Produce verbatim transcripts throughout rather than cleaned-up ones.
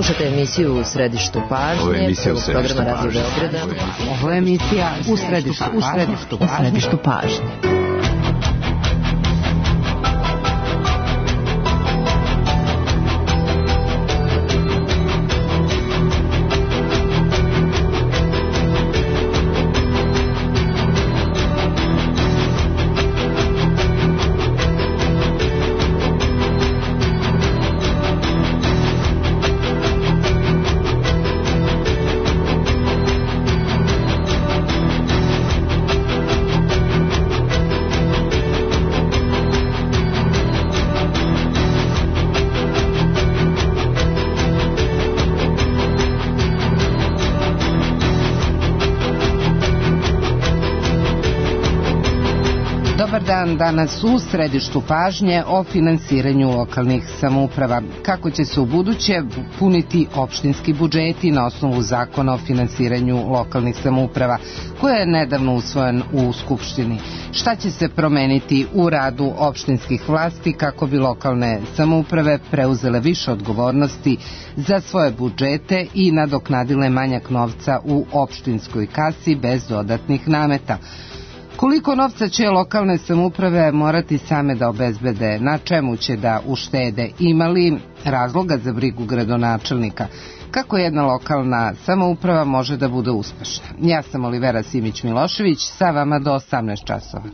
Slušate emisiju U središtu pažnje, prvog programa Radio Beograda. Ovo je emisija U središtu, u središtu, u središtu pažnje. Dan danas u središtu pažnje o finansiranju lokalnih samouprava. Kako će se u buduće puniti opštinski budžeti na osnovu zakona o finansiranju lokalnih samouprava, koja je nedavno usvojen u Skupštini? Šta će se promeniti u radu opštinskih vlasti kako bi lokalne samouprave preuzele više odgovornosti za svoje budžete i nadoknadile manjak novca u opštinskoj kasi bez dodatnih nameta? Koliko novca će lokalne samouprave morati same da obezbede, na čemu će da uštede, ima li razloga za brigu gradonačelnika? Kako jedna lokalna samouprava može da bude uspešna? Ja sam Olivera Simić-Milošević, sa vama do osamnaest časova.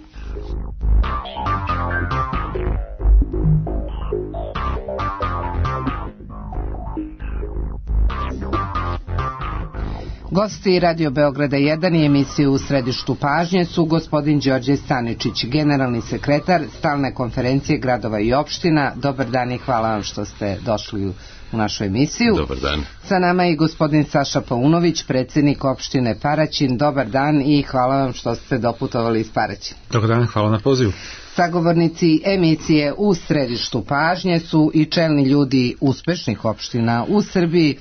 Gosti Radio Beograda jedan i emisiju U središtu pažnje su gospodin Đorđe Staničić, generalni sekretar Stalne konferencije gradova i opština. Dobar dan i hvala vam što ste došli u našu emisiju. Dobar dan. Sa nama je i gospodin Saša Paunović, predsjednik opštine Paraćin. Dobar dan i hvala vam što ste doputovali iz Paraćina. Dobar dan, hvala na pozivu. Sagovornici emisije U središtu pažnje su i čelni ljudi uspešnih opština u Srbiji.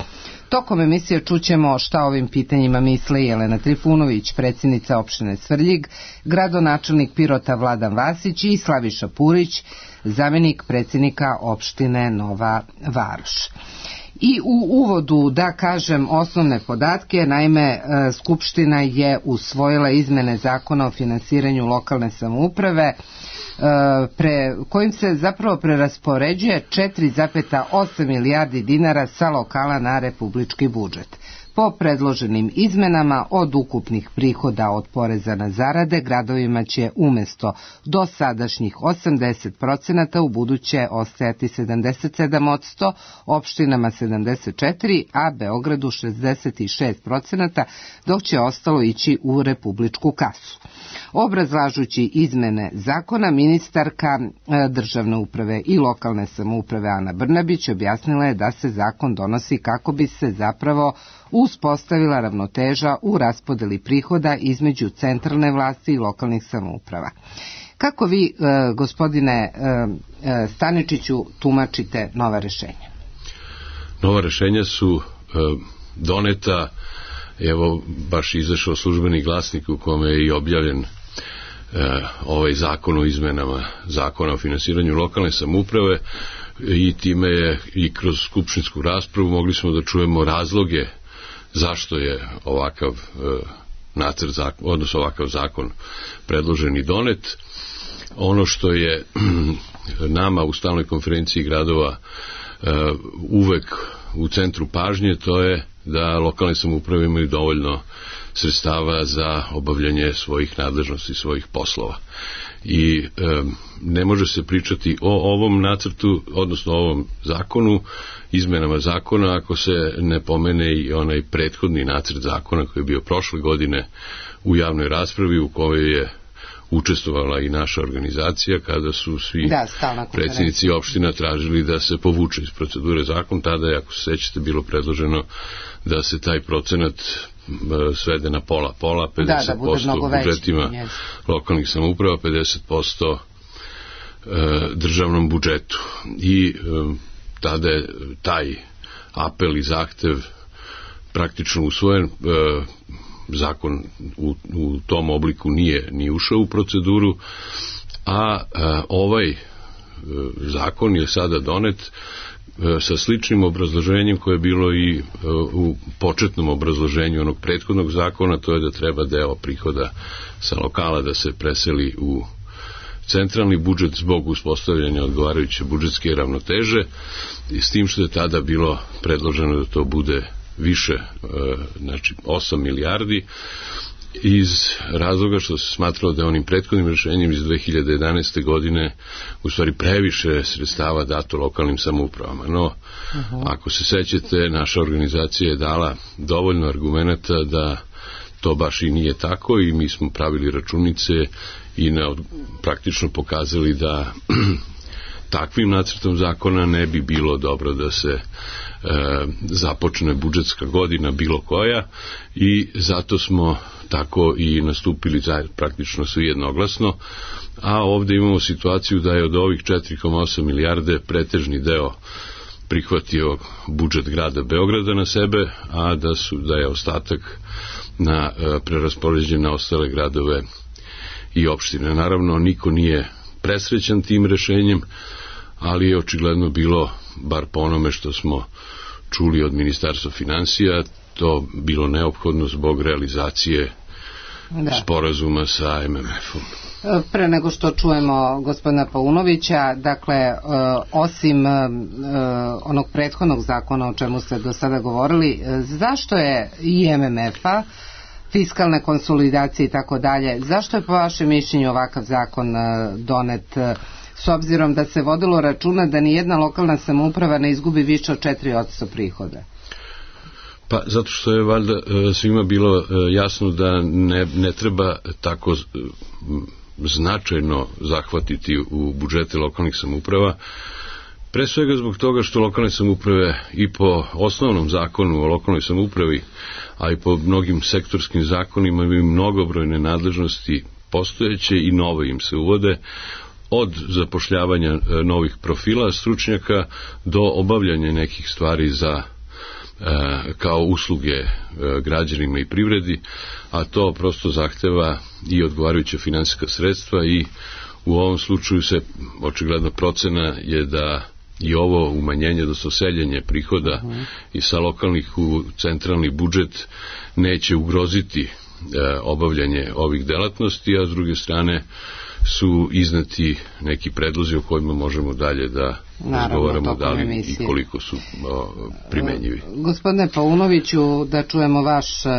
Tokom emisije čućemo šta o ovim pitanjima misle Jelena Trifunović, predsjednica opštine Svrljig, gradonačelnik Pirota Vladan Vasić i Slaviša Purić, zamjenik predsjednika opštine Nova Varoš. I u uvodu da kažem osnovne podatke, naime Skupština je usvojila izmene zakona o finansiranju lokalne samouprave, pre, kojim se zapravo preraspoređuje četiri zarez osam milijardi dinara sa lokala na republički budžet. Po predloženim izmenama od ukupnih prihoda od poreza na zarade, gradovima će umjesto dosadašnjih osamdeset procenata u buduće ostajati sedamdeset sedam posto, opštinama sedamdeset četiri posto, a Beogradu šezdeset šest procenata, dok će ostalo ići u republičku kasu. Obrazlažući izmene zakona, ministarka državne uprave i lokalne samouprave Ana Brnabić objasnila je da se zakon donosi kako bi se zapravo uspostavila ravnoteža u raspodeli prihoda između centralne vlasti i lokalnih samouprava. Kako vi, gospodine Staničiću, tumačite nova rešenja? Nova rešenja su doneta, evo baš izašao službeni glasnik u kome je i objavljen ovaj zakon o izmenama zakona o finansiranju lokalne samouprave i time je i kroz skupštinsku raspravu mogli smo da čujemo razloge zašto je ovakav nacrt zakon, odnosno ovakav zakon predložen i donet. Ono što je nama u Stalnoj konferenciji gradova uvek u centru pažnje, to je da lokalne samouprave imaju dovoljno sredstava za obavljanje svojih nadležnosti, svojih poslova. I e, ne može se pričati o ovom nacrtu, odnosno o ovom zakonu, izmenama zakona, ako se ne pomene i onaj prethodni nacrt zakona koji je bio prošle godine u javnoj raspravi, u kojoj je učestvovala i naša organizacija, kada su svi da, predsjednici opština tražili da se povuče iz procedure zakon. Tada je, ako se sećate, bilo predloženo da se taj procenat svede na pola-pola, pedeset posto da, da u budžetima yes. lokalnih samouprava, pedeset posto državnom budžetu. I tada je taj apel i zahtev praktično usvojen. Zakon u, u tom obliku nije ni ušao u proceduru, a, a ovaj zakon je sada donet sa sličnim obrazloženjem koje je bilo i u početnom obrazloženju onog prethodnog zakona, to je da treba deo prihoda sa lokala da se preseli u centralni budžet zbog uspostavljanja odgovarajuće budžetske ravnoteže, i s tim što je tada bilo predloženo da to bude više, znači osam milijardi, iz razloga što se smatralo da je onim prethodnim rešenjem iz dve hiljade jedanaeste. godine u stvari previše sredstava dato lokalnim samoupravama. No, uh-huh. ako se sećate, naša organizacija je dala dovoljno argumenata da to baš i nije tako, i mi smo pravili računice i na, praktično pokazali da takvim nacrtom zakona ne bi bilo dobro da se e, započne budžetska godina bilo koja, i zato smo tako i nastupili zajedno, praktično svi jednoglasno, a ovde imamo situaciju da je od ovih četiri zarez osam milijarde pretežni deo prihvatio budžet grada Beograda na sebe, a da su da je ostatak na e, preraspoređen na ostale gradove i opštine. Naravno, niko nije presrećan tim rešenjem, ali je očigledno bilo, bar po onome što smo čuli od Ministarstva finansija, to bilo neophodno zbog realizacije da. sporazuma sa em em efom. Pre nego što čujemo gospodina Paunovića, dakle, osim onog prethodnog zakona o čemu ste do sada govorili, zašto je i em em efa, fiskalne konsolidacije i tako dalje, zašto je po vašem mišljenju ovakav zakon donet, s obzirom da se vodilo računa da ni jedna lokalna samouprava ne izgubi više od četiri posto prihoda? Pa zato što je valjda svima bilo jasno da ne, ne treba tako značajno zahvatiti u budžete lokalnih samouprava, pre svega zbog toga što lokalne samouprave i po osnovnom zakonu o lokalnoj samoupravi, a i po mnogim sektorskim zakonima imaju mnogobrojne nadležnosti postojeće i nove im se uvode, od zapošljavanja novih profila stručnjaka do obavljanja nekih stvari za kao usluge građanima i privredi, a to prosto zahteva i odgovarajuća finansijska sredstva, i u ovom slučaju se očigledno procena je da i ovo umanjenje, odnosno seljenje prihoda uh-huh. i sa lokalnih u centralni budžet neće ugroziti e, obavljanje ovih delatnosti, a s druge strane su izneti neki predlozi o kojima možemo dalje da razgovaramo da li i koliko su o, primenjivi. Gospodine Paunoviću, da čujemo vaš uh,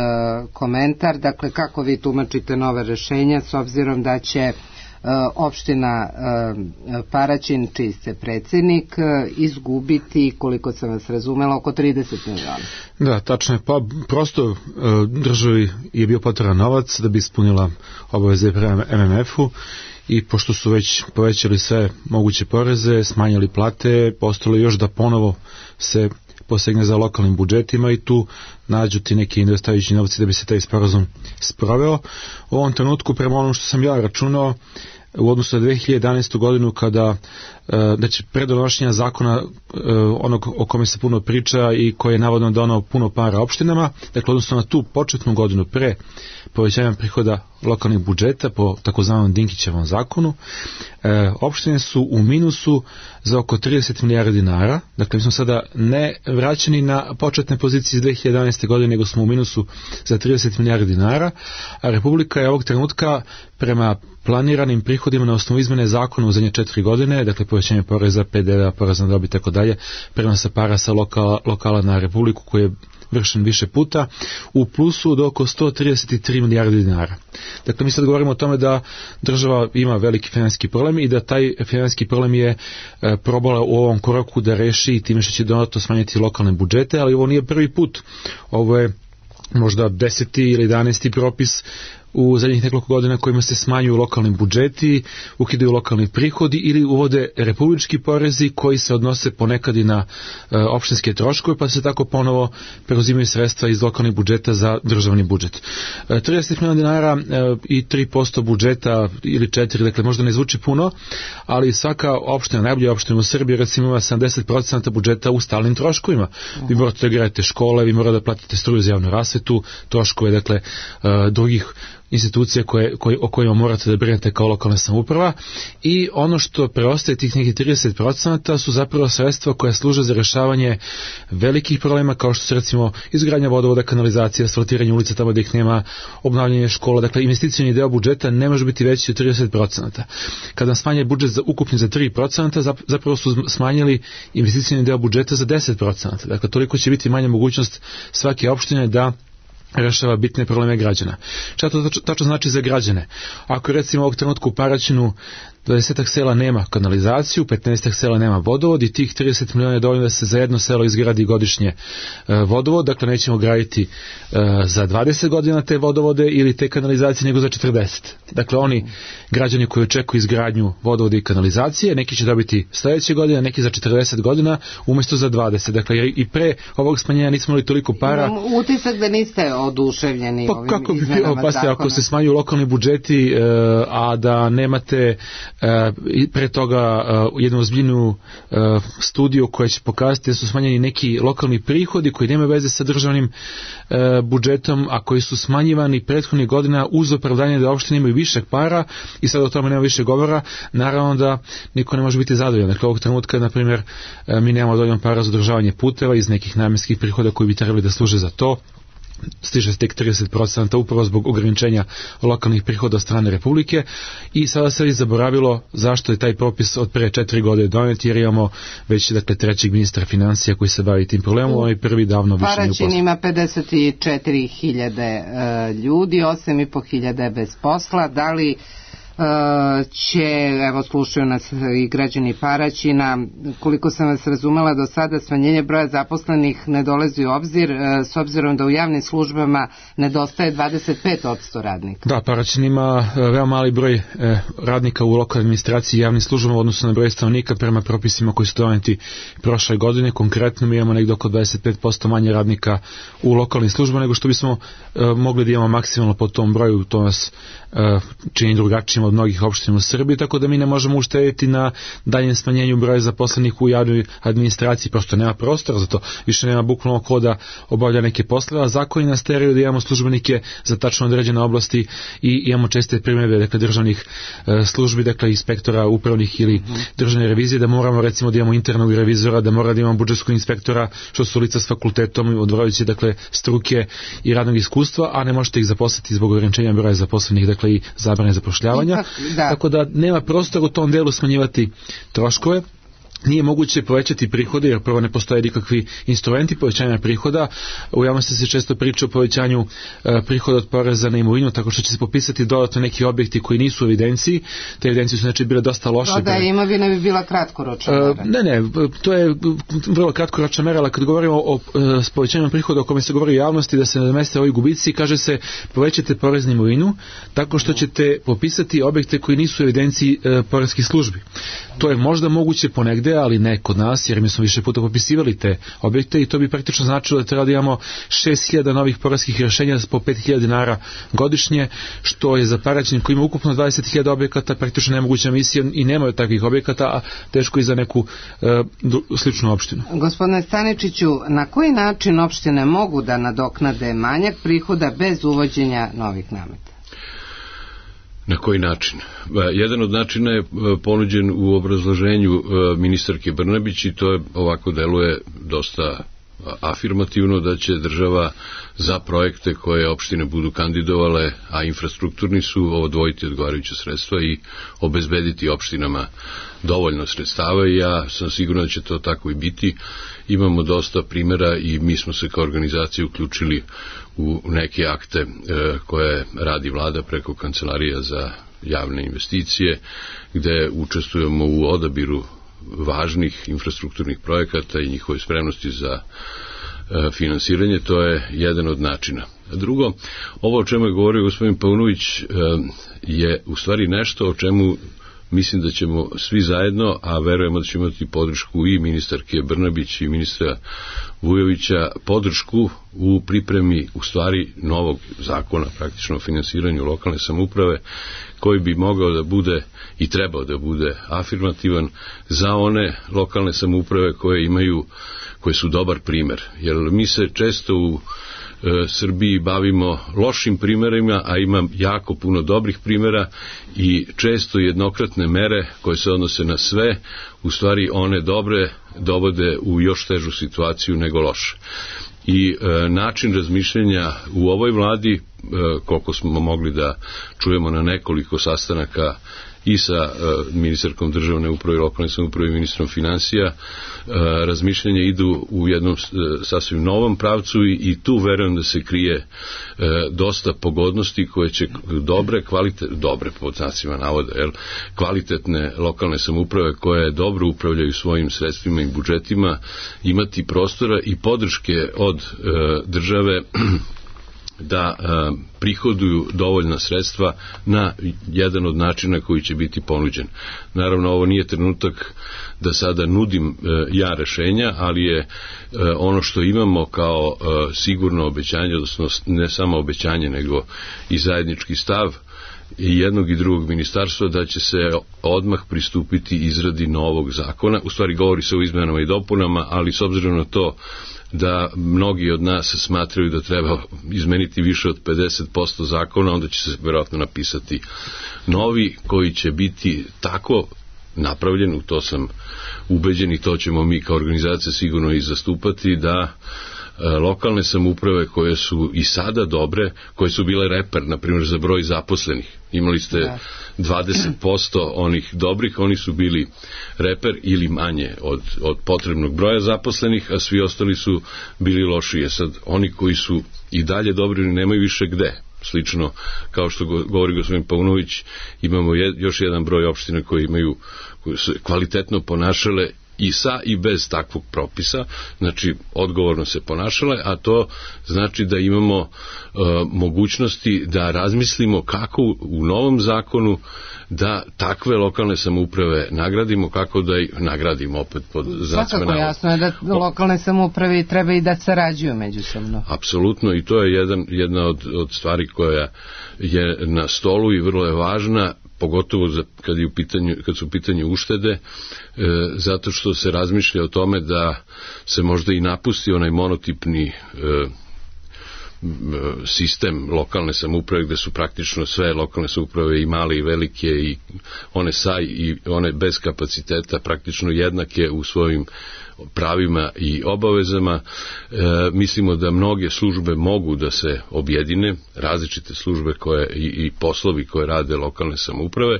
komentar, dakle kako vi tumačite nove rešenja s obzirom da će uh, opština uh, Paraćin, čiji ste predsjednik, uh, izgubiti, koliko sam vas razumela, oko trideset miliona. Da, tačno je. Pa prosto uh, državi je bio potreban novac da bi ispunila obaveze prema em em efu, i pošto su već povećali sve moguće poreze, smanjili plate, postalo još da ponovo se posegne za lokalnim budžetima i tu nađu ti neki nedostajući novci da bi se taj sporazum sproveo. U ovom trenutku, prema onom što sam ja računao, u odnosu na dve hiljade jedanaestu. godinu, kada da će pre donošenja zakona onog o kome se puno priča i koji je navodno donao puno para opštinama, dakle odnosno na tu početnu godinu pre povećanja prihoda lokalnih budžeta po takozvanom Dinkićevom zakonu, opštine su u minusu za oko trideset milijardi dinara. Dakle, mi smo sada ne vraćeni na početne pozicije iz dve hiljade jedanaeste. godine, nego smo u minusu za trideset milijardi dinara, a Republika je ovog trenutka prema planiranim prihodima na osnovu izmene zakona u zadnje četiri godine, dakle povećanje poreza, pe de ve, poreza na dobit i tako dalje, prenosa para sa lokala, lokala na Republiku koji je vršen više puta, u plusu od oko sto trideset tri milijardi dinara. Dakle, mi sad govorimo o tome da država ima veliki finansijski problem i da taj finansijski problem je e, probala u ovom koraku da reši i time što će dodatno smanjiti lokalne budžete, ali ovo nije prvi put. Ovo je možda deseti ili jedanaesti propis u zadnjih nekoliko godina kojima se smanjuju lokalni budžeti, ukidaju lokalni prihodi ili uvode republički porezi koji se odnose ponekad i na e, opštinske troškove, pa se tako ponovo preuzimaju sredstva iz lokalnih budžeta za državni budžet. E, trideset miliona dinara e, i tri posto budžeta ili četiri, dakle možda ne zvuči puno, ali svaka opština, najbolja opština u Srbiji, recimo ima sedamdeset posto budžeta u stalnim troškovima. Vi morate da gradite škole, vi morate da platite struju za javnu rasvetu, troškove, dakle, e, drugih institucije koje, koje, o kojima morate da brinete kao lokalna samouprava, i ono što preostaje tih nekih trideset procenata su zapravo sredstva koja služe za rešavanje velikih problema, kao što su recimo izgradnja vodovoda, kanalizacija, asfaltiranje ulica tamo gde ih nema, obnavljanje škola. Dakle, investicioni deo budžeta ne može biti veći od trideset procenata. Kada smanje budžet za ukupni za tri procenta, zapravo su smanjili investicioni deo budžeta za deset procenata. Dakle, toliko će biti manja mogućnost svake opštine da rešava bitne probleme građana. Šta to tačno znači za građane? Ako recimo ovog trenutka u Paraćinu dvadeset sela nema kanalizaciju, petnaest sela nema vodovod i tih trideset miliona je dovoljno da se za jedno selo izgradi godišnje e, vodovod, dakle nećemo graditi e, za dvadeset godina te vodovode ili te kanalizacije, nego za četrdeset. Dakle, oni građani koji očekuju izgradnju vodovoda i kanalizacije, neki će dobiti sledeće godine, neki za četrdeset godina umesto za dvadeset. Dakle, i pre ovog smanjenja nismo imali toliko para. Imam utisak da niste oduševljeni pa, ovim kako bi, izmenama pa, zakona. Ako se smanjuju lokalni budžeti, e, a da nemate i pre toga uh, jednu ozbiljnu uh, studiju koja će pokazati da su smanjeni neki lokalni prihodi koji nemaju veze sa državnim uh, budžetom, a koji su smanjivani prethodnih godina uz opravdanje da opštine imaju više para i sad o tome nema više govora, naravno da niko ne može biti zadovoljan. Dakle, ovog trenutka, na primjer, uh, mi nemamo dovoljno para za održavanje puteva iz nekih namenskih prihoda koji bi trebali da služe za to. Stiže se tek trideset procenata upravo zbog ograničenja lokalnih prihoda od strane Republike, i sada se je zaboravilo zašto je taj propis od pre četiri godine donet, jer imamo već dakle trećeg ministra financija koji se bavi tim problemom, on je prvi davno više nije u poslu. Paraćin ima pedeset četiri hiljade uh, ljudi, osam i po hiljade bez posla. Da li će, evo slušaju nas i građani Paraćina, koliko sam vas razumela do sada, smanjenje broja zaposlenih ne dolazi u obzir, s obzirom da u javnim službama nedostaje dvadeset pet posto radnika. Da, Paraćin ima veoma mali broj radnika u lokalnoj administraciji i javnim službama u odnosu na broj stanovnika prema propisima koji su doneti prošle godine. Konkretno mi imamo negdje oko dvadeset pet posto manje radnika u lokalnim službama nego što bismo mogli da imamo maksimalno po tom broju. To nas čini drugačijim od mnogih opština u Srbiji, tako da mi ne možemo uštediti na daljem smanjenju broja zaposlenih u javnoj administraciji, prosto nema prostora za to, više nema bukvalno ko da obavlja neke poslove, a zakoni nas teraju da imamo službenike za tačno određene oblasti i imamo česte primjere, dakle, državnih e, službi, dakle, inspektora upravnih ili državne revizije, da moramo recimo da imamo internog revizora, da moramo da imamo budžetskog inspektora, što su lica s fakultetom, odvarajući, dakle, struke i radnog iskustva, a ne možete ih zaposliti zbog ograničenja broja zaposlenih, dakle, i zabrane zapošljavanja. Da. Tako da nema prostora u tom delu smanjivati troškove. Nije moguće povećati prihode, jer prvo ne postoje nikakvi instrumenti povećanja prihoda. U javnosti se često priča o povećanju e, prihoda od poreza na imovinu, tako što će se popisati dodatno neki objekti koji nisu u evidenciji. Te evidencije su znači bile dosta loše. Da, da, imovina bi bila kratkoročna mera. E, ne, ne, to je vrlo kratkoročna mera, ali kad govorimo o e, povećanju prihoda o kome se govori u javnosti da se nadomeste ovi gubici, kaže se povećate porez na imovinu tako što ćete popisati objekte koji nisu u evidenciji e, poreskih službi. To je možda moguće ponegde, ali ne kod nas, jer mi smo više puta popisivali te objekte i to bi praktično značilo da treba da imamo šest hiljada novih poreskih rješenja po pet hiljada dinara godišnje, što je za Paraćin koji ima ukupno dvadeset hiljada objekata praktično nemoguća misija i nemaju takvih objekata, a teško i za neku e, sličnu opštinu. Gospodine Staničiću, na koji način opštine mogu da nadoknade manjak prihoda bez uvođenja novih nameta? Na koji način? Jedan od načina je ponuđen u obrazloženju ministarke Brnabić i to je, ovako deluje dosta afirmativno, da će država za projekte koje opštine budu kandidovale, a infrastrukturni su, odvojiti odgovarajuće sredstva i obezbediti opštinama dovoljno sredstava i ja sam siguran da će to tako i biti. Imamo dosta primjera i mi smo se kao organizacija uključili u neke akte e, koje radi vlada preko Kancelarija za javne investicije, gde učestvujemo u odabiru važnih infrastrukturnih projekata i njihove spremnosti za e, finansiranje. To je jedan od načina. Drugo, ovo o čemu je govorio gospodin Paunović e, je u stvari nešto o čemu mislim da ćemo svi zajedno, a verujemo da ćemo imati podršku i ministarke Brnabić i ministra Vujovića, podršku u pripremi u stvari novog zakona praktično o finansiranju lokalne samouprave, koji bi mogao da bude i trebao da bude afirmativan za one lokalne samouprave koje imaju, koje su dobar primer. Jer mi se često u Srbiji bavimo lošim primerima, a ima jako puno dobrih primera i često jednokratne mere koje se odnose na sve, u stvari one dobre dovode u još težu situaciju nego loše. I e, način razmišljanja u ovoj vladi, e, koliko smo mogli da čujemo na nekoliko sastanaka i sa e, ministarkom državne uprave i lokalne samouprave i ministrom finansija, e, razmišljanja idu u jednom e, sasvim novom pravcu i, i tu verujem da se krije e, dosta pogodnosti koje će dobre, kvalitet, dobre pod znacima navoda, jel, kvalitetne lokalne samouprave koje dobro upravljaju svojim sredstvima i budžetima imati prostora i podrške od e, države da e, prihoduju dovoljna sredstva na jedan od načina koji će biti ponuđen. Naravno, ovo nije trenutak da sada nudim e, ja rešenja, ali je e, ono što imamo kao e, sigurno obećanje, odnosno ne samo obećanje, nego i zajednički stav i jednog i drugog ministarstva da će se odmah pristupiti izradi novog zakona. U stvari govori se o izmenama i dopunama, ali s obzirom na to da mnogi od nas smatraju da treba izmeniti više od pedeset posto zakona, onda će se vjerojatno napisati novi koji će biti tako napravljen, u to sam ubeđen i to ćemo mi kao organizacija sigurno i zastupati, da lokalne samouprave koje su i sada dobre, koje su bile reper, na primjer za broj zaposlenih. Imali ste dvadeset posto onih dobrih, oni su bili reper ili manje od, od potrebnog broja zaposlenih, a svi ostali su bili lošije. Sad, oni koji su i dalje dobri nemaju više gde. Slično, kao što govori gospodin Paunović, imamo je, još jedan broj opština koji imaju, koji su kvalitetno ponašale i sa i bez takvog propisa, znači odgovorno se ponašale, a to znači da imamo e, mogućnosti da razmislimo kako u, u novom zakonu da takve lokalne samouprave nagradimo, kako da ih nagradimo opet pod znacima navoda. Svakako jasno je da lokalne samouprave treba i da sarađuju međusobno. Apsolutno, i to je jedan, jedna od, od stvari koja je na stolu i vrlo je važna, pogotovo za, kad, je u pitanju, kad su u pitanju uštede, e, zato što se razmišlja o tome da se možda i napusti onaj monotipni e, sistem lokalne samouprave gde su praktično sve lokalne samouprave i male i velike i one sa i one bez kapaciteta praktično jednake u svojim pravima i obavezama. E, mislimo da mnoge službe mogu da se objedine, različite službe koje i, i poslovi koje rade lokalne samouprave,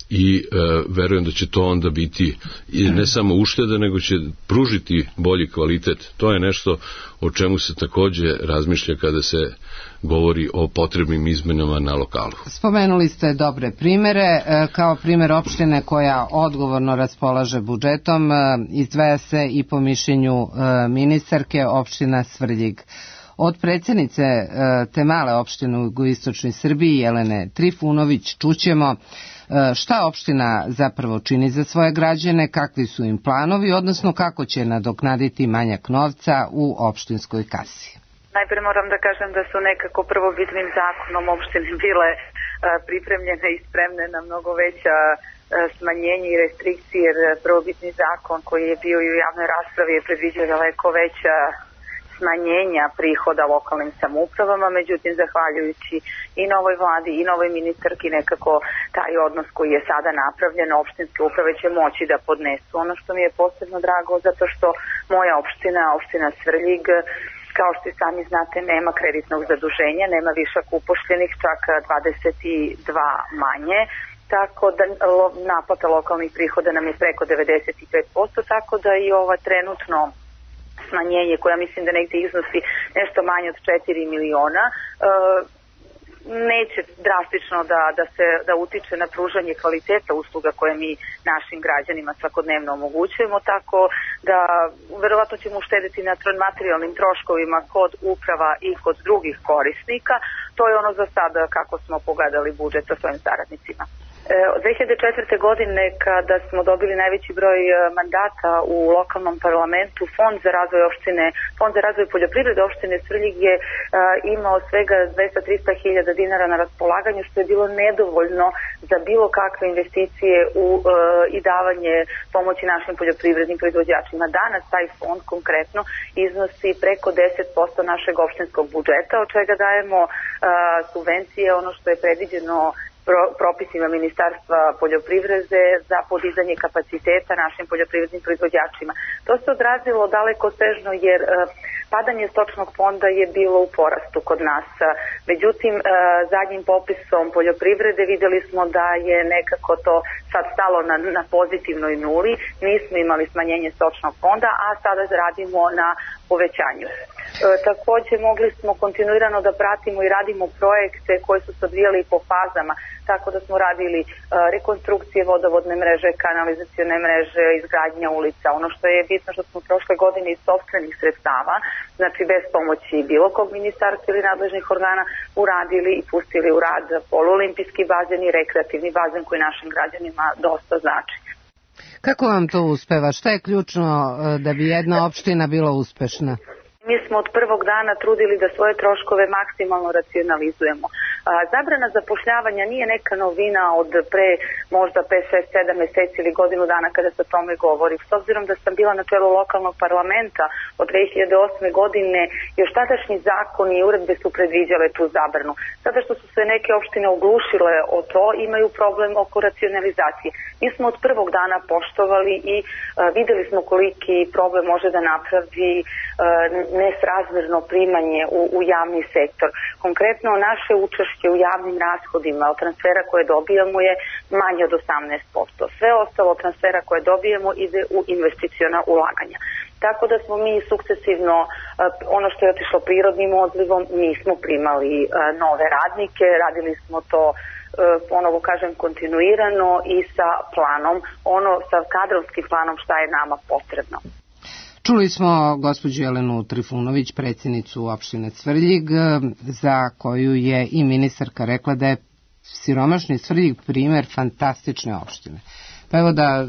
i e, verujem da će to onda biti i ne samo ušteda, nego će pružiti bolji kvalitet. To je nešto o čemu se takođe razmišlja kada se govori o potrebnim izmenama na lokalu. Spomenuli ste dobre primere, kao primer opštine koja odgovorno raspolaže budžetom, izdvaja se i po mišljenju ministarke opština Svrljig. Od predsjednice te male opštine u jugoistočnoj Srbiji, Jelene Trifunović, čućemo šta opština zapravo čini za svoje građane, kakvi su im planovi, odnosno kako će nadoknaditi manjak novca u opštinskoj kasi. Najprije moram da kažem da su nekako prvobitnim zakonom opštine bile a, pripremljene i spremne na mnogo veća a, smanjenje i restrikcije, jer prvobitni zakon koji je bio i u javnoj raspravi je predviđao daleko veća smanjenja prihoda lokalnim samoupravama, međutim, zahvaljujući i novoj vladi i novoj ministarki, nekako taj odnos koji je sada napravljen, opštinske uprave će moći da podnesu. Ono što mi je posebno drago, zato što moja opština, opština Svrljig, kao što i sami znate, nema kreditnog zaduženja, nema višak upošljenih, čak dvadeset dva manje, tako da naplata lokalnih prihoda nam je preko devedeset pet posto, tako da i ova trenutno smanjenje, koja mislim da negde iznosi nešto manje od četiri miliona, e, neće drastično da, da se da utiče na pružanje kvaliteta usluga koje mi našim građanima svakodnevno omogućujemo, tako da verovatno ćemo uštediti na materijalnim troškovima kod uprava i kod drugih korisnika. To je ono za sada kako smo pogledali budžet sa svojim saradnicima. Od dve hiljade četvrte. godine, kada smo dobili najveći broj mandata u lokalnom parlamentu, Fond za razvoj opštine, Fond za razvoj poljoprivrede opštine Svrljig je imao svega dvesta do trista hiljada dinara na raspolaganju, što je bilo nedovoljno za bilo kakve investicije u, i davanje pomoći našim poljoprivrednim proizvođačima. Danas taj fond konkretno iznosi preko deset posto našeg opštinskog budžeta, od čega dajemo subvencije, ono što je predviđeno propisima Ministarstva poljoprivrede za podizanje kapaciteta našim poljoprivrednim proizvođačima. To se odrazilo daleko sežno jer padanje stočnog fonda je bilo u porastu kod nas. Međutim, zadnjim popisom poljoprivrede videli smo da je nekako to sad stalo na, na pozitivnoj nuli. Nismo imali smanjenje stočnog fonda, a sada radimo na povećanju. E, takođe mogli smo kontinuirano da pratimo i radimo projekte koje su se odvijali po fazama, tako da smo radili e, rekonstrukcije vodovodne mreže, kanalizacione mreže, izgradnja ulica. Ono što je bitno što smo prošle godine iz sopstvenih sredstava, znači bez pomoći bilo kog ministarstva ili nadležnih organa, uradili i pustili u rad poluolimpijski bazen i rekreativni bazen koji našim građanima dosta znači. Kako vam to uspeva? Šta je ključno da bi jedna opština bila uspešna? Mi smo od prvog dana trudili da svoje troškove maksimalno racionalizujemo. Zabrana zapošljavanja nije neka novina od pre možda pet, šest, sedam meseci ili godinu dana kada se o tome govori. S obzirom da sam bila na čelu lokalnog parlamenta od dve hiljade osme. godine, još tadašnji zakoni i uredbe su predviđale tu zabranu. Sada što su se neke opštine oglušile o to, imaju problem oko racionalizacije. Mi smo od prvog dana poštovali i uh, videli smo koliki problem može da napravi uh, nesrazmerno primanje u, u javni sektor. Konkretno, naše učešće u javnim rashodima od transfera koje dobijamo je manje od osamnaest posto. Sve ostalo transfera koje dobijemo ide u investiciona ulaganja. Tako da smo mi sukcesivno, ono što je otišlo prirodnim odlivom, nismo primali nove radnike, radili smo to ponovo kažem kontinuirano i sa planom, ono sa kadrovskim planom šta je nama potrebno. Čuli smo gospođu Jelenu Trifunović, predsjednicu opštine Svrljig, za koju je i ministarka rekla da je siromašni Svrljig primer fantastične opštine. Pa evo da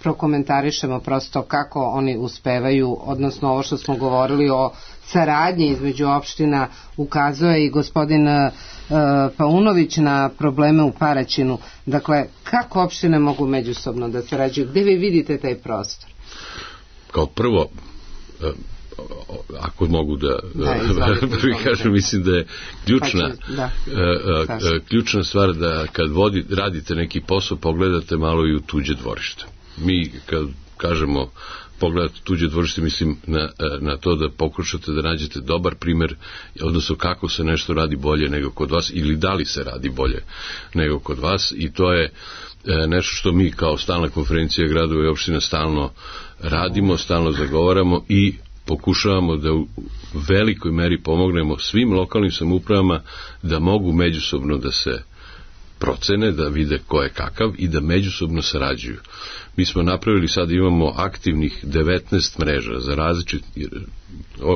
prokomentarišemo prosto kako oni uspevaju, odnosno ovo što smo govorili o saradnji između opština, ukazuje i gospodin uh, Paunović na probleme u Paraćinu. Dakle, kako opštine mogu međusobno da sarađuju? Gde vi vidite taj prostor? Kao prvo, ako mogu da, da prvi kažem, mislim da je ključna da. ključna stvar da kad vodi, radite neki posao, pogledate malo i u tuđe dvorište. Mi kad kažemo pogledate tuđe dvorište, mislim na, na to da pokušate da nađete dobar primer, odnosno kako se nešto radi bolje nego kod vas ili da li se radi bolje nego kod vas, i to je nešto što mi kao stalna konferencija gradova i opština stalno radimo, stalno zagovaramo i pokušavamo da u velikoj meri pomognemo svim lokalnim samoupravama da mogu međusobno da se procene, da vide ko je kakav i da međusobno sarađuju. Mi smo napravili, sad imamo aktivnih devetnaest mreža za različit,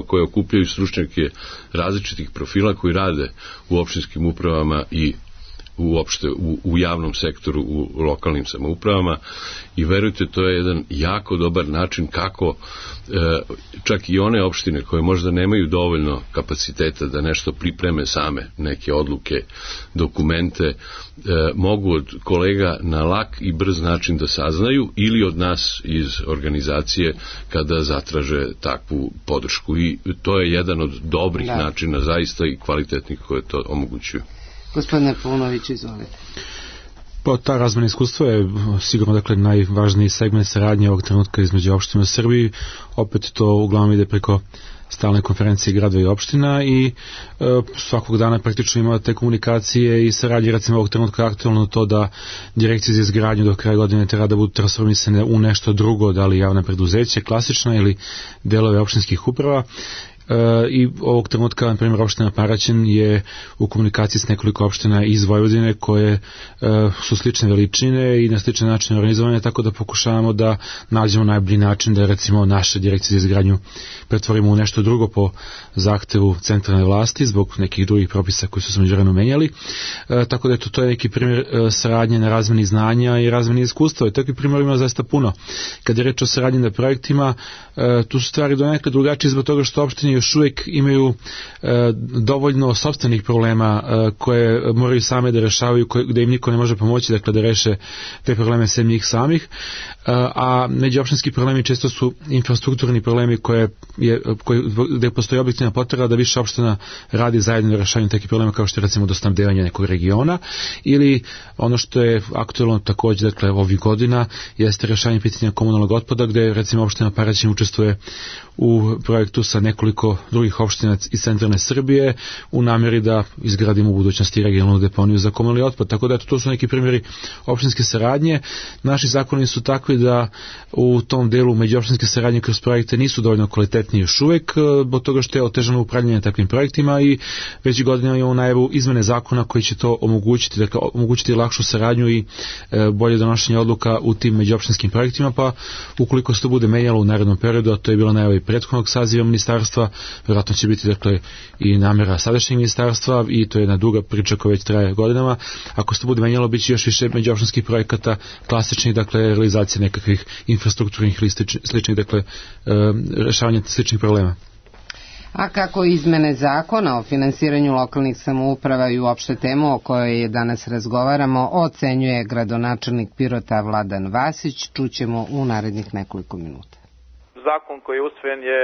koje okupljaju stručnjake različitih profila koji rade u opštinskim upravama i uopšte u, u javnom sektoru, u lokalnim samoupravama, i verujte, to je jedan jako dobar način kako e, čak i one opštine koje možda nemaju dovoljno kapaciteta da nešto pripreme same, neke odluke, dokumente, e, mogu od kolega na lak i brz način da saznaju ili od nas iz organizacije kada zatraže takvu podršku, i to je jedan od dobrih da. načina zaista i kvalitetnih koje to omogućuju. Gospodine Paunović, izvolite. Pa ta razmena iskustva je sigurno dakle najvažniji segment saradnje ovog trenutka između opština u Srbiji. Opet to uglavnom ide preko stalne konferencije gradova i opština i e, svakog dana praktično ima te komunikacije i saradnje. Recimo ovog trenutka aktualno to da direkcije za izgradnju do kraja godine treba da budu transformisane u nešto drugo, da li javna preduzeće, klasična ili delove opštinskih uprava. i ovog trenutka, na primjer, opština Paraćin je u komunikaciji s nekoliko opština iz Vojvodine koje su slične veličine i na slične načine organizovane, tako da pokušavamo da nađemo najbolji način da recimo naše direkcije za izgradnju pretvorimo u nešto drugo po zahtevu centralne vlasti zbog nekih drugih propisa koji su se međuvremeno menjali. E, tako da eto, to je neki primjer e, saradnje na razmeni znanja i razmeni iskustva. I takvih primjera ima zaista puno. Kad je reč o saradnji na projektima, e, tu su stvari donekle drugačije zbog toga što opštine još uvijek imaju e, dovoljno sopstvenih problema e, koje moraju same da rešavaju, koje, gde im niko ne može pomoći, dakle da reše te probleme sem njih samih. E, a međuopštinski problemi često su infrastrukturni problemi koje je, koje, gde postoji objektivna potreba da više opština radi zajedno na rešavanju takvih problema kao što je recimo dostnabdevanje nekog regiona ili ono što je aktuelno takođe dakle ovih godina jeste rešavanje pitanja komunalnog otpada gde recimo opština Paraćin učestvuje u projektu sa nekoliko drugih opština iz centralne Srbije u namjeri da izgradimo u budućnosti regionalnu deponiju za komunalni otpad. Tako da eto, to su neki primjeri opštinske saradnje. Naši zakoni su takvi da u tom delu međuopštinske saradnje kroz projekte nisu dovoljno kvalitetni još uvijek, zbog toga što je otežano upravljanje takvim projektima i već godinama imamo najavu izmene zakona koji će to omogućiti, dakle omogućiti lakšu saradnju i e, bolje donošenje odluka u tim međuopštinskim projektima, pa ukoliko se to bude menjalo u narednom periodu, a to je bila najava i prethodnog saziva ministarstva, vjerojatno će biti dakle i namjera sadašnjeg ministarstva i to je jedna duga priča koja već traje godinama. Ako se to bude menjalo, bit će još više međuopštinskih projekata, klasičnih, dakle realizacije nekakvih infrastrukturnih ili sličnih, dakle e, rešavanja sličnih problema. A kako izmene zakona o finansiranju lokalnih samouprava i uopšte temu o kojoj je danas razgovaramo ocenjuje gradonačelnik Pirota Vladan Vasić, čućemo u narednih nekoliko minuta. Zakon koji je usvojen je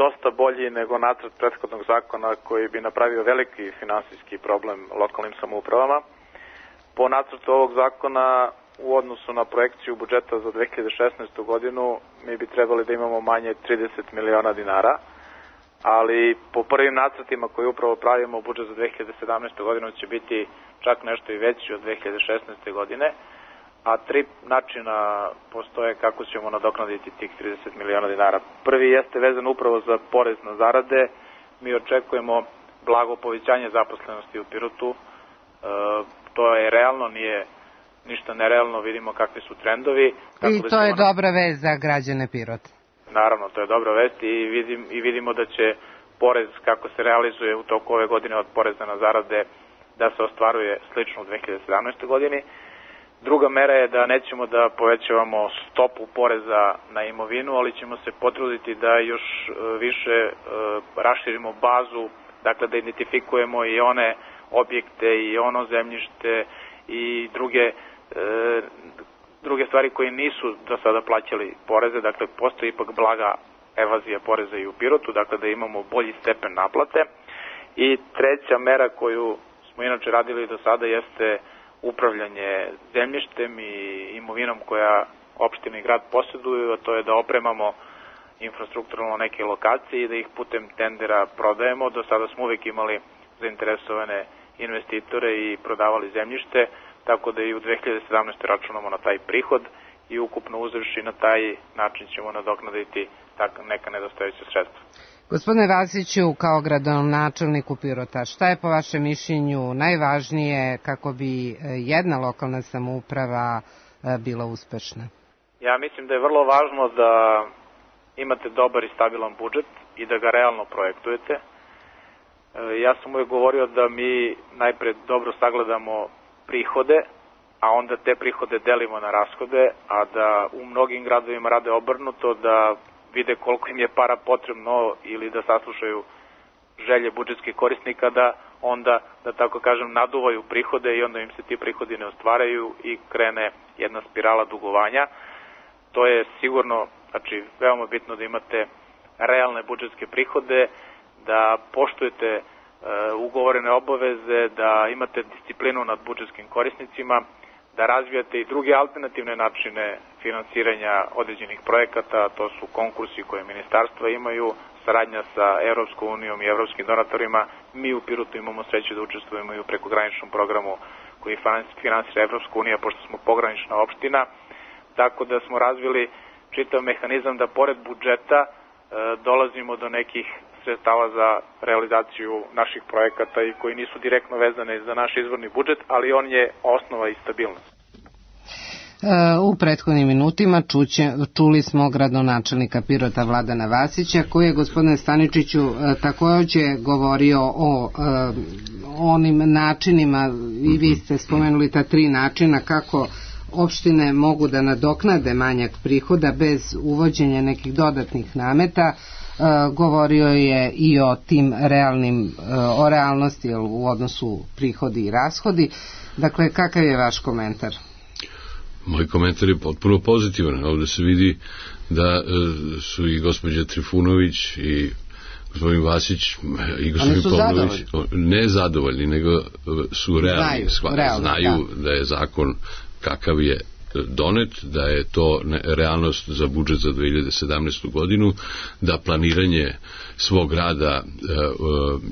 dosta bolji nego nacrt prethodnog zakona koji bi napravio veliki finansijski problem lokalnim samoupravama. Po nacrtu ovog zakona u odnosu na projekciju budžeta za dve hiljade šesnaestu godinu mi bi trebali da imamo manje trideset miliona dinara, ali po prvim nacrtima koji upravo pravimo budžet za dve hiljade sedamnaestu godinu će biti čak nešto i veći od dve hiljade šesnaeste. godine, a tri načina postoje kako ćemo nadoknaditi tih trideset miliona dinara. Prvi jeste vezan upravo za porez na zarade. Mi očekujemo blago povećanje zaposlenosti u Pirotu. E, to je realno, nije ništa nerealno, vidimo kakvi su trendovi. I to je dobra vest za građane Pirota. Naravno, to je dobra vest i, vidim, i vidimo da će porez kako se realizuje u toku ove godine od poreza na zarade da se ostvaruje slično u dve hiljade sedamnaestoj. godini. Druga mera je da nećemo da povećavamo stopu poreza na imovinu, ali ćemo se potruditi da još više e, raširimo bazu, dakle da identifikujemo i one objekte i ono zemljište i druge e, druge stvari koje nisu do sada plaćali poreze, dakle postoji ipak blaga evazija poreza i u Pirotu, dakle da imamo bolji stepen naplate. I treća mera koju smo inače radili do sada jeste upravljanje zemljištem i imovinom koja opština i grad posjeduju, a to je da opremamo infrastrukturalno neke lokacije i da ih putem tendera prodajemo. Do sada smo uvijek imali zainteresovane investitore i prodavali zemljište, tako da i u dve hiljade sedamnaestoj. računamo na taj prihod i ukupno uzevši na taj način ćemo nadoknaditi neka nedostajuća sredstva. Gospodine Vasiću, kao gradonačelniku Pirota, šta je po vašem mišljenju najvažnije kako bi jedna lokalna samouprava bila uspešna? Ja mislim da je vrlo važno da imate dobar i stabilan budžet i da ga realno projektujete. Ja sam uvijek govorio da mi najpred dobro sagledamo prihode, a onda te prihode delimo na rashode, a da u mnogim gradovima rade obrnuto, da vide koliko im je para potrebno ili da saslušaju želje budžetskih korisnika, da onda, da tako kažem, naduvaju prihode i onda im se ti prihodi ne ostvaraju i krene jedna spirala dugovanja. To je sigurno, znači, veoma bitno da imate realne budžetske prihode, da poštujete e, ugovorene obaveze, da imate disciplinu nad budžetskim korisnicima, da razvijate i druge alternativne načine finansiranja određenih projekata, to su konkursi koje ministarstva imaju, saradnja sa Evropskom unijom i evropskim donatorima. Mi u Pirotu imamo sreću da učestvujemo i u prekograničnom programu koji finansira Evropska unija, pošto smo pogranična opština, tako da smo razvili čitav mehanizam da pored budžeta e, dolazimo do nekih sredstava za realizaciju naših projekata i koji nisu direktno vezane za naš izvorni budžet, ali on je osnova i stabilnost. U prethodnim minutima čuće, čuli smo gradonačelnika Pirota Vladana Vasića, koji je, gospodine Staničiću, također govorio o e, onim načinima, i vi ste spomenuli ta tri načina kako opštine mogu da nadoknade manjak prihoda bez uvođenja nekih dodatnih nameta. E, govorio je i o tim realnim, e, o realnosti u odnosu prihodi i rashodi. Dakle, kakav je vaš komentar? Moj komentar je potpuno pozitivan. Ovdje se vidi da su i gospođa Trifunović i gospodin Vasić i gospodin Pavlović ne zadovoljni, nego su realni. Znaju, realno, znaju da. da je zakon kakav je donet, da je to realnost za budžet za dve hiljade sedamnaestu godinu, da planiranje svog rada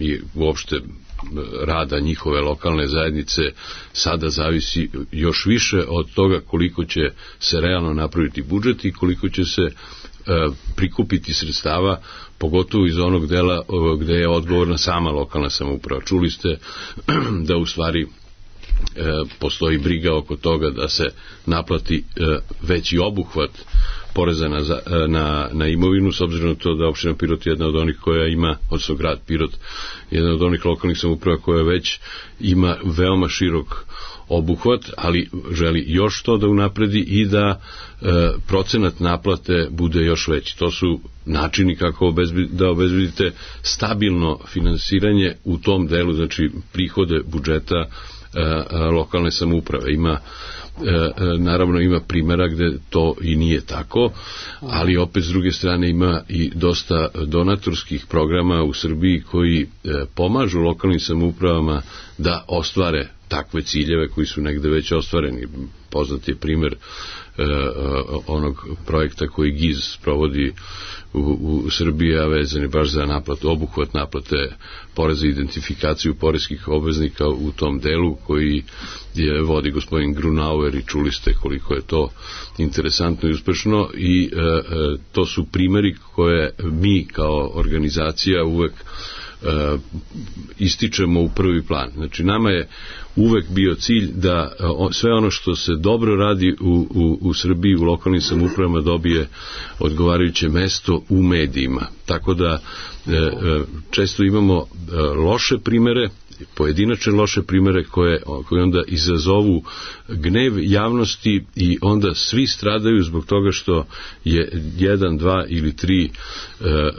i uopšte rada njihove lokalne zajednice sada zavisi još više od toga koliko će se realno napraviti budžet i koliko će se e, prikupiti sredstava, pogotovo iz onog dela gde je odgovorna sama lokalna samouprava. Čuli ste da u stvari e, postoji briga oko toga da se naplati e, veći obuhvat poreza na, na, na imovinu, s obzirom na to da opština Pirot je jedna od onih koja ima, odnosno grad Pirot, jedna od onih lokalnih samouprava koja već ima veoma širok obuhvat, ali želi još to da unapredi i da e, procenat naplate bude još veći. To su načini kako obezbedi, da obezbedite stabilno finansiranje u tom delu, znači prihode budžeta e, e, lokalne samouprave. Ima E, naravno ima primjera gde to i nije tako, ali opet s druge strane ima i dosta donatorskih programa u Srbiji koji e, pomažu lokalnim samoupravama da ostvare takve ciljeve koji su negde već ostvareni. Poznat je primjer e, onog projekta koji G I Z provodi u, u Srbiji, a vezan je baš za naplatu, obuhvat naplate poreza i identifikaciju poreskih obveznika u tom delu koji je vodi gospodin Grunauer i čuli ste koliko je to interesantno i uspešno i e, e, to su primjeri koje mi kao organizacija uvek e, ističemo u prvi plan. Znači nama je uvek bio cilj da sve ono što se dobro radi u, u, u Srbiji, u lokalnim samoupravama dobije odgovarajuće mesto u medijima. Tako da e, često imamo loše primere, pojedinačne loše primere koje, koje onda izazovu gnev javnosti i onda svi stradaju zbog toga što je jedan, dva ili tri e, e,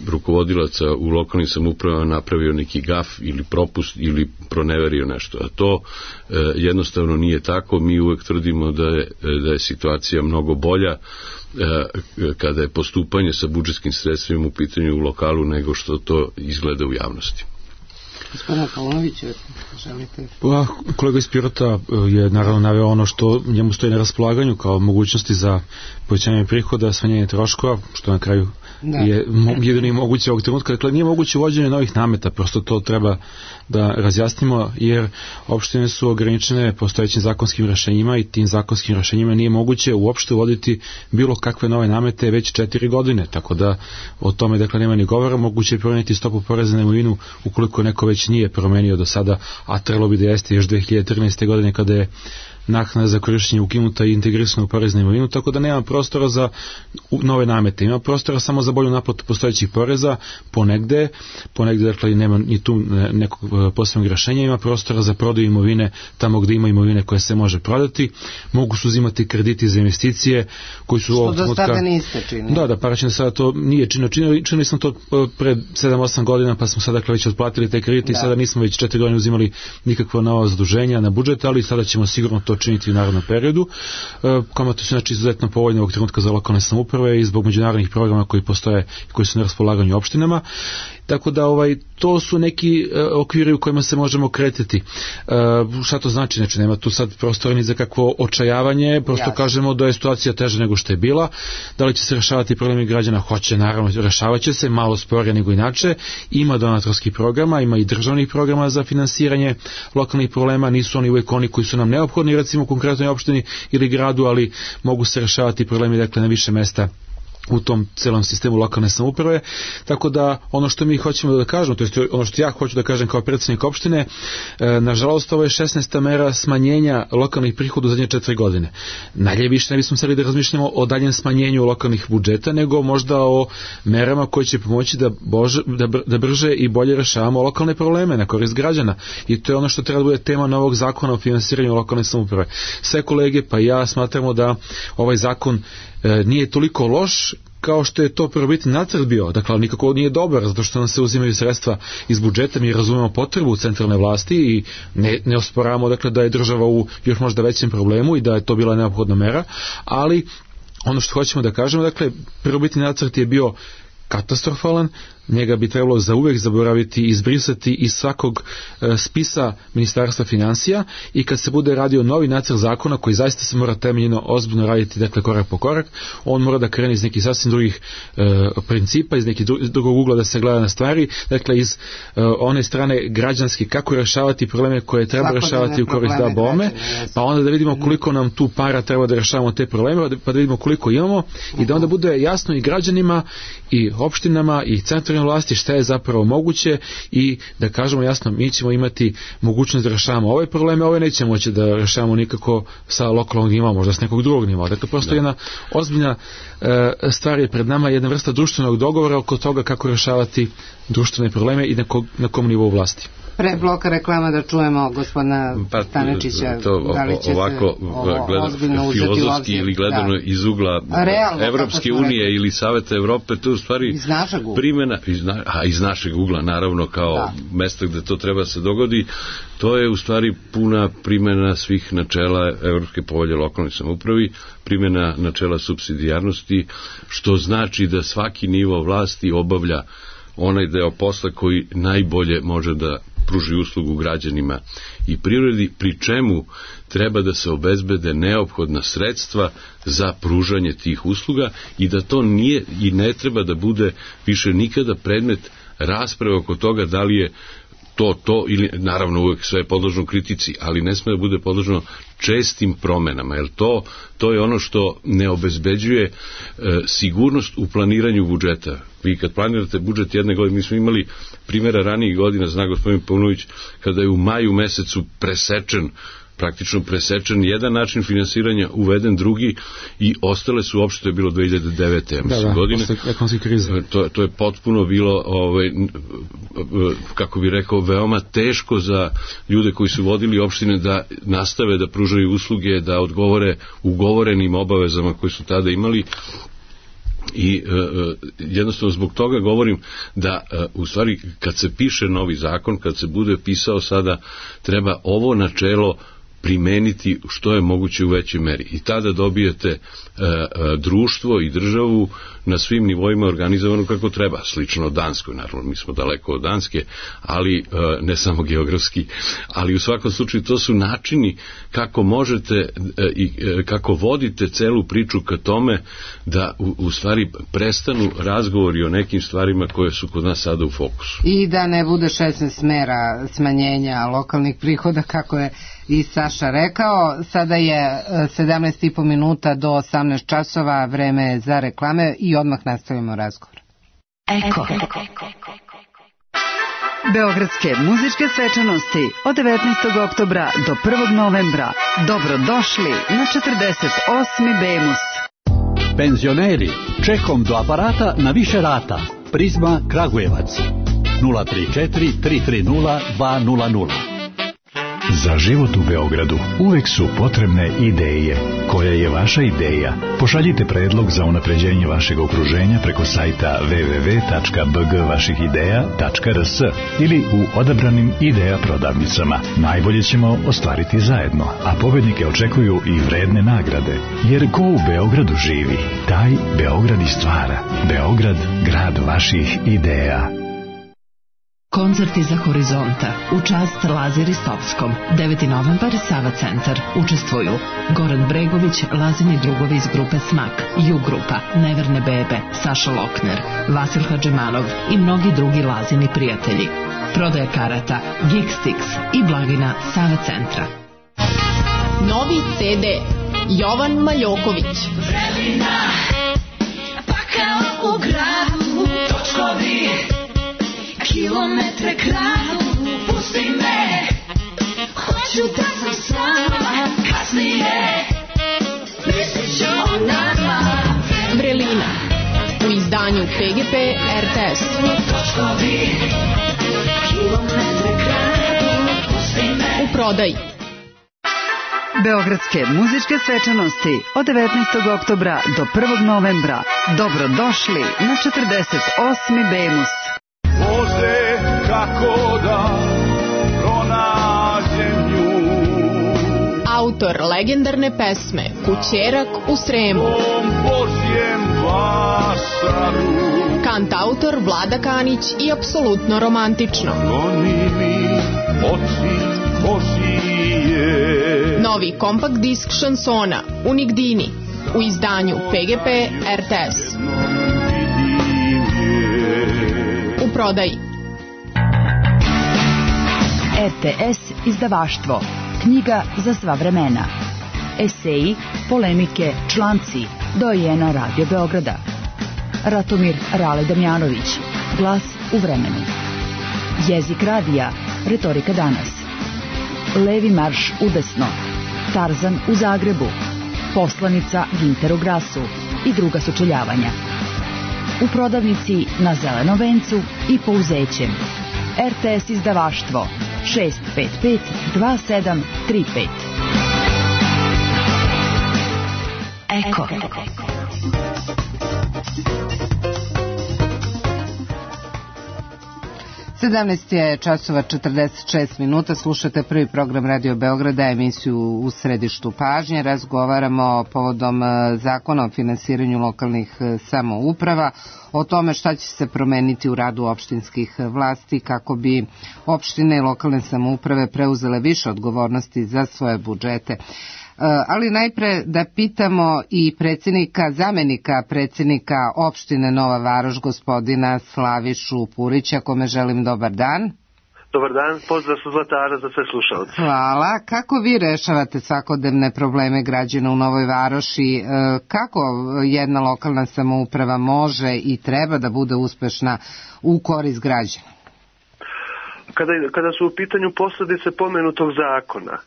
rukovodilaca u lokalnim samoupravama napravio neki gaf ili propust ili proneverio nešto. A to e, jednostavno nije tako. Mi uvek tvrdimo da je, da je situacija mnogo bolja e, kada je postupanje sa budžetskim sredstvima u pitanju u lokalu nego što to izgleda u javnosti. Gospodina Paunović, želite? Pa, kolega iz Pirota je naravno naveo ono što njemu stoji na raspolaganju kao mogućnosti za povećanje prihoda, smanjenje troškova, što na kraju da. je jedini moguće ovog trenutka. Dakle, nije moguće uvođenje novih nameta, prosto to treba da razjasnimo, jer opštine su ograničene postojećim zakonskim rešenjima i tim zakonskim rešenjima nije moguće uopšte uvoditi bilo kakve nove namete već četiri godine, tako da o tome dakle nema ni govora. Moguće je promeniti stopu poreza na imovinu ukoliko neko već nije promenio do sada, a trebalo bi da jeste još dve hiljade trinaeste. godine kada je naknada za korišćenje ukinuta i integrisana u porez na imovinu, tako da nema prostora za nove namete. Ima prostora samo za bolju naplatu postojećih poreza ponegde, ponegde dakle nema ni tu nekog posebnog rešenja, ima prostora za prodaju imovine tamo gde ima imovine koje se može prodati, mogu su uzimati krediti za investicije koji su što do sada niste činili. Da, da, paraćino sada to nije činili, činili, činili smo to pre sedam osam godina, pa smo sada dakle već otplatili te kredite i sada nismo već četiri godine uzimali nikakva nova zaduženja na budžet, ali sada ćemo sigurno to činiti u narednom periodu. Kamate su znači izuzetno povoljne ovog trenutka za lokalne samouprave i zbog međunarodnih programa koji postoje i koji su na raspolaganju opštinama. Tako da ovaj to su neki uh, okviri u kojima se možemo kretati. Uh, šta to znači? Znači nema tu sad prostora ni za kakvo očajavanje, prosto Jasne. kažemo da je situacija teža nego što je bila. Da li će se rešavati problemi građana? Hoće, naravno, rešavaće se, malo sporije nego inače. Ima donatorskih programa, ima i državnih programa za finansiranje lokalnih problema, nisu oni uvijek oni koji su nam neophodni, recimo u konkretnoj opštini ili gradu, ali mogu se rešavati problemi dakle na više mesta u tom celom sistemu lokalne samouprave, tako da ono što mi hoćemo da kažemo, to je ono što ja hoću da kažem kao predsjednik opštine, e, nažalost ovo je šesnaesta mera smanjenja lokalnih prihoda u zadnje četiri godine. Najlje više ne bismo seli da razmišljamo o daljem smanjenju lokalnih budžeta, nego možda o merama koje će pomoći da, bože, da, br, da brže i bolje rešavamo lokalne probleme na korist građana. I to je ono što treba da bude tema novog zakona o finansiranju lokalne samouprave. Sve kolege pa ja smatramo da ovaj zakon e, nije toliko loš kao što je to prvobitni nacrt bio, dakle nikako nije dobar zato što nam se uzimaju sredstva iz budžeta, mi razumemo potrebu centralne vlasti i ne, ne osporavamo dakle da je država u još možda većem problemu i da je to bila neophodna mera, ali ono što hoćemo da kažemo, dakle prvobitni nacrt je bio katastrofalan, njega bi trebalo zauvek zaboraviti i izbrisati iz svakog e, spisa Ministarstva financija i kad se bude radio novi nacrt zakona koji zaista se mora temeljno ozbiljno raditi, dakle korak po korak, on mora da krene iz nekih sasvim drugih e, principa, iz nekih drugog ugla da se gleda na stvari, dakle iz e, one strane građanske, kako rešavati probleme koje treba rešavati u korist da bome, pa onda da vidimo koliko nam tu para treba da rešavamo te probleme, pa da vidimo koliko imamo i da onda bude jasno i građanima i opštinama i centralnim vlasti šta je zapravo moguće i da kažemo jasno, mi ćemo imati mogućnost da rešavamo ove probleme, ove nećemo moći da rešavamo nikako sa lokalnog nivoa, možda s nekog drugog nivoa. Dakle, prosto da. jedna ozbiljna e, stvar je pred nama, jedna vrsta društvenog dogovora oko toga kako rešavati društvene probleme i na, ko, na kom nivou vlasti. Pre bloka reklama da čujemo gospodina pa, Stanečića, to, da li će ovako, se ovo, gleda, ozbiljno uzeti u filozofski ili gledano da. iz ugla Realno, Evropske unije rekli. Ili Saveta Evrope, to je u stvari iz našeg primjena, iz, na, a iz našeg ugla naravno kao da. mesta gde to treba se dogodi, to je u stvari puna primjena svih načela Evropske povelje lokalnoj samoupravi, primjena načela supsidijarnosti, što znači da svaki nivo vlasti obavlja onaj deo posla koji najbolje može da pruži uslugu građanima i privredi, pri čemu treba da se obezbede neophodna sredstva za pružanje tih usluga i da to nije i ne treba da bude više nikada predmet rasprave oko toga da li je to, to ili naravno uvek sve je podložno kritici, ali ne sme da bude podložno čestim promenama, jer to, to je ono što ne obezbeđuje e, sigurnost u planiranju budžeta. Vi kad planirate budžet jedne godine, mi smo imali primjera ranijih godina, zna gospodin Paunović, kada je u maju mesecu presečen praktično presečen jedan način finansiranja, uveden drugi i ostale su uopšte, to je bilo dve hiljade devete. Da, da, godine. To, to je potpuno bilo, ovaj, kako bi rekao, veoma teško za ljude koji su vodili opštine da nastave da pružaju usluge, da odgovore ugovorenim obavezama koje su tada imali. I e, jednostavno zbog toga govorim da e, u stvari kad se piše novi zakon, kad se bude pisao sada, treba ovo načelo primeniti što je moguće u većoj meri. I tada dobijete e, e, društvo i državu na svim nivoima organizovano kako treba. Slično od Danskoj, naravno, mi smo daleko od Danske, ali e, ne samo geografski, ali u svakom slučaju to su načini kako možete e, i e, kako vodite celu priču ka tome da u, u stvari prestanu razgovori o nekim stvarima koje su kod nas sada u fokusu. I da ne bude šesnaest mera smanjenja lokalnih prihoda, kako je i Saša rekao. Sada je sedamnaest i po minuta do osamnaest časova, vreme za reklame i odmah nastavimo razgovor. Eko. Beogradske muzičke svečanosti od devetnaestog oktobra do prvog novembra. Dobrodošli na četrdeset osmi Bemus. Penzioneri, čekom do aparata na više rata. Prizma Kragujevac nula tri četiri tri tri nula dva nula nula. Za život u Beogradu uvek su potrebne ideje. Koja je vaša ideja? Pošaljite predlog za unapređenje vašeg okruženja preko sajta w w w tačka b g vaših ideja tačka r s ili u odabranim ideja prodavnicama. Najbolje ćemo ostvariti zajedno, a pobednike očekuju i vredne nagrade. Jer ko u Beogradu živi, taj Beograd i stvara. Beograd, grad vaših ideja. Koncert iza horizonta u čast Lazi Ristovskom. deveti novembar, Sava centar. Učestvuju Goran Bregović, Lazini drugovi iz grupe Smak, Ju grupa, Neverne bebe, Saša Lokner, Vasil Hadžimanov i mnogi drugi Lazini prijatelji. Prodaja karata Geekstix i blagina Sava centra. Novi ce de Jovan Maljoković. Znaću da sam sama, kasnije misliš o nama. Vrelina u izdanju P G P R T S. U prodaji. Beogradske muzičke svečanosti od devetnaestog oktobra do prvog novembra. Dobrodošli na četrdeset osmi Bemus. Bože, kako da pronađem nju. Autor legendarne pesme Kućerak u Sremu. Kantautor Vlada Kanić i apsolutno romantično. Novi kompakt disk šansona Unik Dini u izdanju P G P R T S. U prodaji. R T S izdavaštvo. Knjiga za sva vremena. Eseji, polemike, članci. Dojena Radio Beograda. Ratomir Rale Damjanović. Glas u vremenu. Jezik radija. Retorika danas. Levi marš udesno. Tarzan u Zagrebu. Poslanica Ginter u Grasu i druga sučeljavanja. U prodavnici na Zelenom vencu i Pouzećem. R T S izdavaštvo šest pet pet dva sedam tri pet. Eko. sedamnaest je časova četrdeset šest minuta, slušate prvi program Radio Beograda, emisiju U središtu pažnje. Razgovaramo povodom zakona o finansiranju lokalnih samouprava, o tome šta će se promeniti u radu opštinskih vlasti kako bi opštine i lokalne samouprave preuzele više odgovornosti za svoje budžete. Ali najpre da pitamo i predsjednika, zamenika predsjednika opštine Nova Varoš, gospodina Slavišu Purića, kome želim dobar dan. Dobar dan, pozdrav sa Zlatara za sve slušalce. Hvala. Kako vi rešavate svakodnevne probleme građana u Novoj Varoši? Kako jedna lokalna samouprava može i treba da bude uspešna u korist građana? Kada, kada su u pitanju posljedice pomenutog zakona,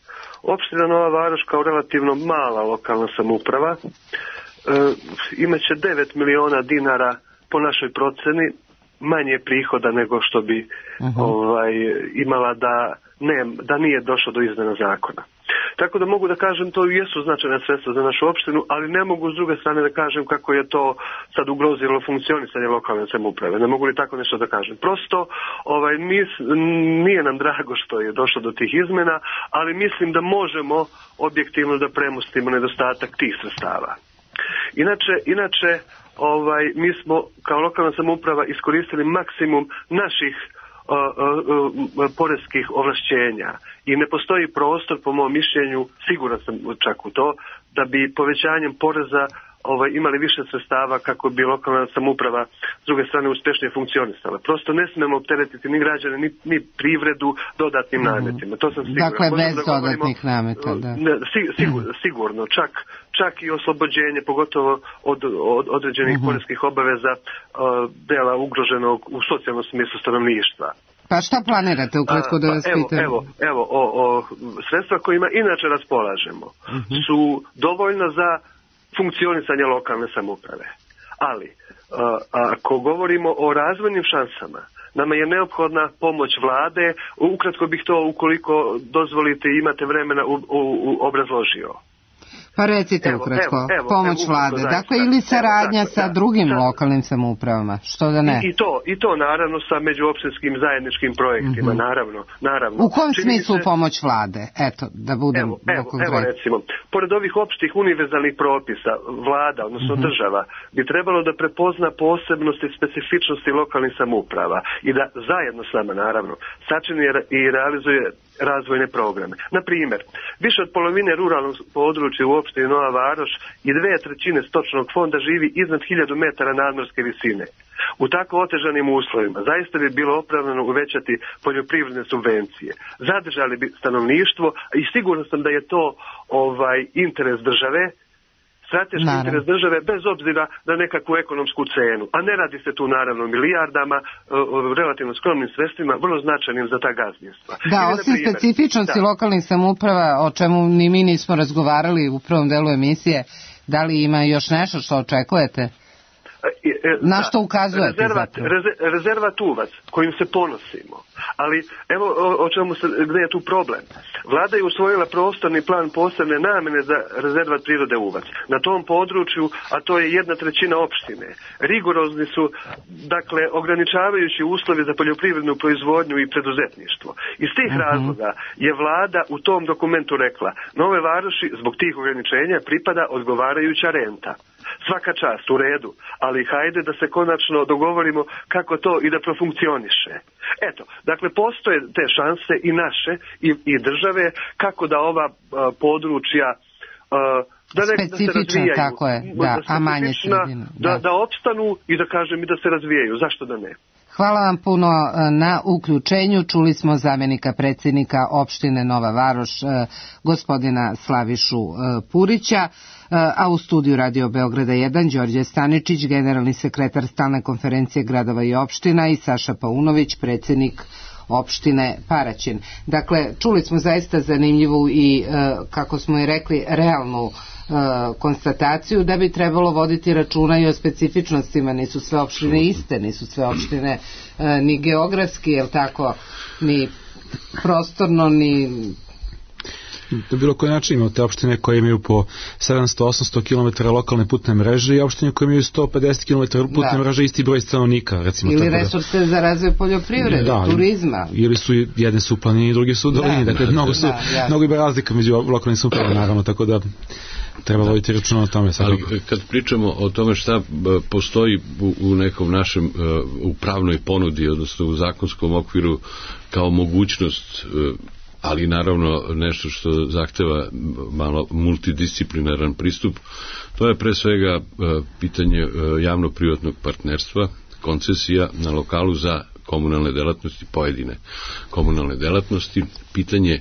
opština Nova Varoš kao relativno mala lokalna samouprava e, imaće devet miliona dinara po našoj proceni manje prihoda nego što bi uh-huh. ovaj, imala da, ne, da nije došlo do izmjena zakona. Tako da mogu da kažem, to jesu značajne sredstva za našu opštinu, ali ne mogu s druge strane da kažem kako je to sad ugrozilo funkcionisanje lokalne samouprave. Ne mogu li tako nešto da kažem. Prosto ovaj, nis, nije nam drago što je došlo do tih izmena, ali mislim da možemo objektivno da premostimo nedostatak tih sredstava. Inače, inače ovaj, mi smo kao lokalna samouprava iskoristili maksimum naših Uh, uh, uh, poreskih ovlašćenja i ne postoji prostor, po mom mišljenju, siguran sam čak u to, da bi povećanjem poreza ovaj, imali više sredstava kako bi lokalna samouprava s druge strane uspješnije funkcionisala. Prosto ne smemo opteretiti ni građane, ni, ni privredu dodatnim mm-hmm. nametima. To sam siguran. Dakle, bez da dodatnih nameta, da. Ne, sigur, sigurno, čak, čak i oslobođenje, pogotovo od, od određenih mm-hmm. poreskih obaveza uh, dela ugroženog u socijalnom smislu stanovništva. Pa šta planirate ukratko da vas pa, evo, pitam? Evo, evo o, o, sredstva kojima inače raspolažemo mm-hmm. su dovoljna za funkcionisanje lokalne samouprave. Ali, a, ako govorimo o razvojnim šansama, nama je neophodna pomoć vlade. Ukratko bih to, ukoliko dozvolite i imate vremena, u, u, u obrazložio. Pa recite evo, ukratko, evo, evo, pomoć evo, vlade. zaista. Dakle, ili saradnja evo, sa da, drugim da, lokalnim samoupravama, što da ne? I, i, to, I to naravno sa međuopštinskim zajedničkim projektima, mm-hmm. naravno, naravno. U kom Čini smislu se... pomoć vlade? Eto, da budem evo, evo, evo recimo, pored ovih opštih univerzalnih propisa, vlada, odnosno mm-hmm. država, bi trebalo da prepozna posebnosti i specifičnosti lokalnih samouprava i da zajedno s nama, naravno, sačini i realizuje razvojne programe. Na primjer, više od polovine ruralnog područja u opštini Nova Varoš i dve trećine stočnog fonda živi iznad hiljadu metara nadmorske visine. U tako otežanim uslovima zaista bi bilo opravdano uvećati poljoprivredne subvencije. Zadržali bi stanovništvo i siguran sam da je to ovaj interes države. strateški Naravno. interes države bez obzira na nekakvu ekonomsku cenu. A ne radi se tu naravno o milijardama, o, o relativno skromnim sredstvima, vrlo značajnim za ta gazdinstva. Da, Ili, osim naprimjer, specifičnosti da. lokalnih samouprava, o čemu ni mi nismo razgovarali u prvom delu emisije, da li ima još nešto što očekujete? E, e, Na što ukazujete rezervat, zapravo? reze, rezervat uvac kojim se ponosimo. Ali evo o, o čemu se, gdje je tu problem. Vlada je usvojila prostorni plan posebne namjene za rezervat prirode Uvac. Na tom području, a to je jedna trećina opštine, rigorozni su, dakle, ograničavajući uslovi za poljoprivrednu proizvodnju i preduzetništvo. Iz tih uh-huh. razloga je vlada u tom dokumentu rekla, Nove Varoši zbog tih ograničenja pripada odgovarajuća renta. Svaka čast, u redu, ali hajde da se konačno dogovorimo kako to i da profunkcioniše. Eto, dakle, postoje te šanse i naše i, i države kako da ova a, područja a, da ne, da se razvijaju. Tako je, da, a manje sredine. Da, da, da opstanu i da kažem i da se razvijaju. Zašto da ne? Hvala vam puno na uključenju. Čuli smo zamjenika predsjednika opštine Nova Varoš, gospodina Slavišu Purića, a u studiju Radio Beograda jedan Đorđe Staničić, generalni sekretar Stalne konferencije gradova i opština, i Saša Paunović, predsjednik opštine Paraćin. Dakle, čuli smo zaista zanimljivu i, kako smo i rekli, realnu konstataciju da bi trebalo voditi računa i o specifičnostima. Nisu sve opštine iste, nisu sve opštine ni geografski, jel tako, ni prostorno, ni... Na bilo koji način imate opštine koje imaju po sedamsto do osamsto kilometara lokalne putne mreže i opštine koje imaju sto pedeset kilometara putne da. mreže, isti broj stanovnika, recimo. Ili tako resurse da, za razvoj poljoprivrede, da, turizma. Ili su jedne su u planini, drugi su u dolini, da, dakle, da, mnogo, su, da, mnogo ima razlika među lokalnim samoupravama, naravno, tako da treba da. voditi računa o tome. Ali kad pričamo o tome šta postoji u, u nekom našem, u pravnoj ponudi, odnosno u zakonskom okviru kao mogućnost, ali naravno nešto što zahteva malo multidisciplinaran pristup, to je pre svega pitanje javno-privatnog partnerstva, koncesija na lokalu za komunalne delatnosti, pojedine komunalne delatnosti, pitanje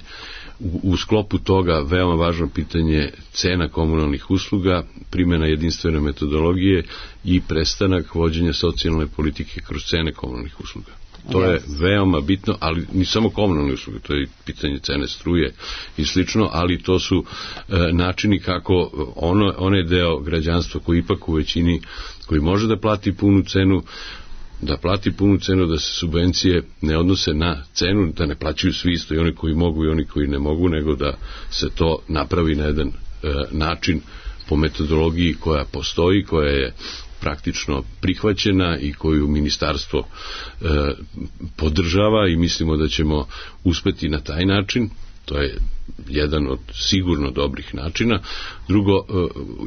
u, u sklopu toga veoma važno pitanje cena komunalnih usluga, primjena jedinstvene metodologije i prestanak vođenja socijalne politike kroz cene komunalnih usluga. To je veoma bitno, ali ni samo komunalne usluge, to je pitanje cene struje i slično, ali to su e, načini kako ono, onaj deo građanstva koji ipak u većini, koji može da plati punu cenu, da plati punu cenu, da se subvencije ne odnose na cenu, da ne plaćaju svi isto, i oni koji mogu i oni koji ne mogu, nego da se to napravi na jedan e, način po metodologiji koja postoji, koja je praktično prihvaćena i koju ministarstvo e, podržava, i mislimo da ćemo uspeti na taj način. To je jedan od sigurno dobrih načina. Drugo, e,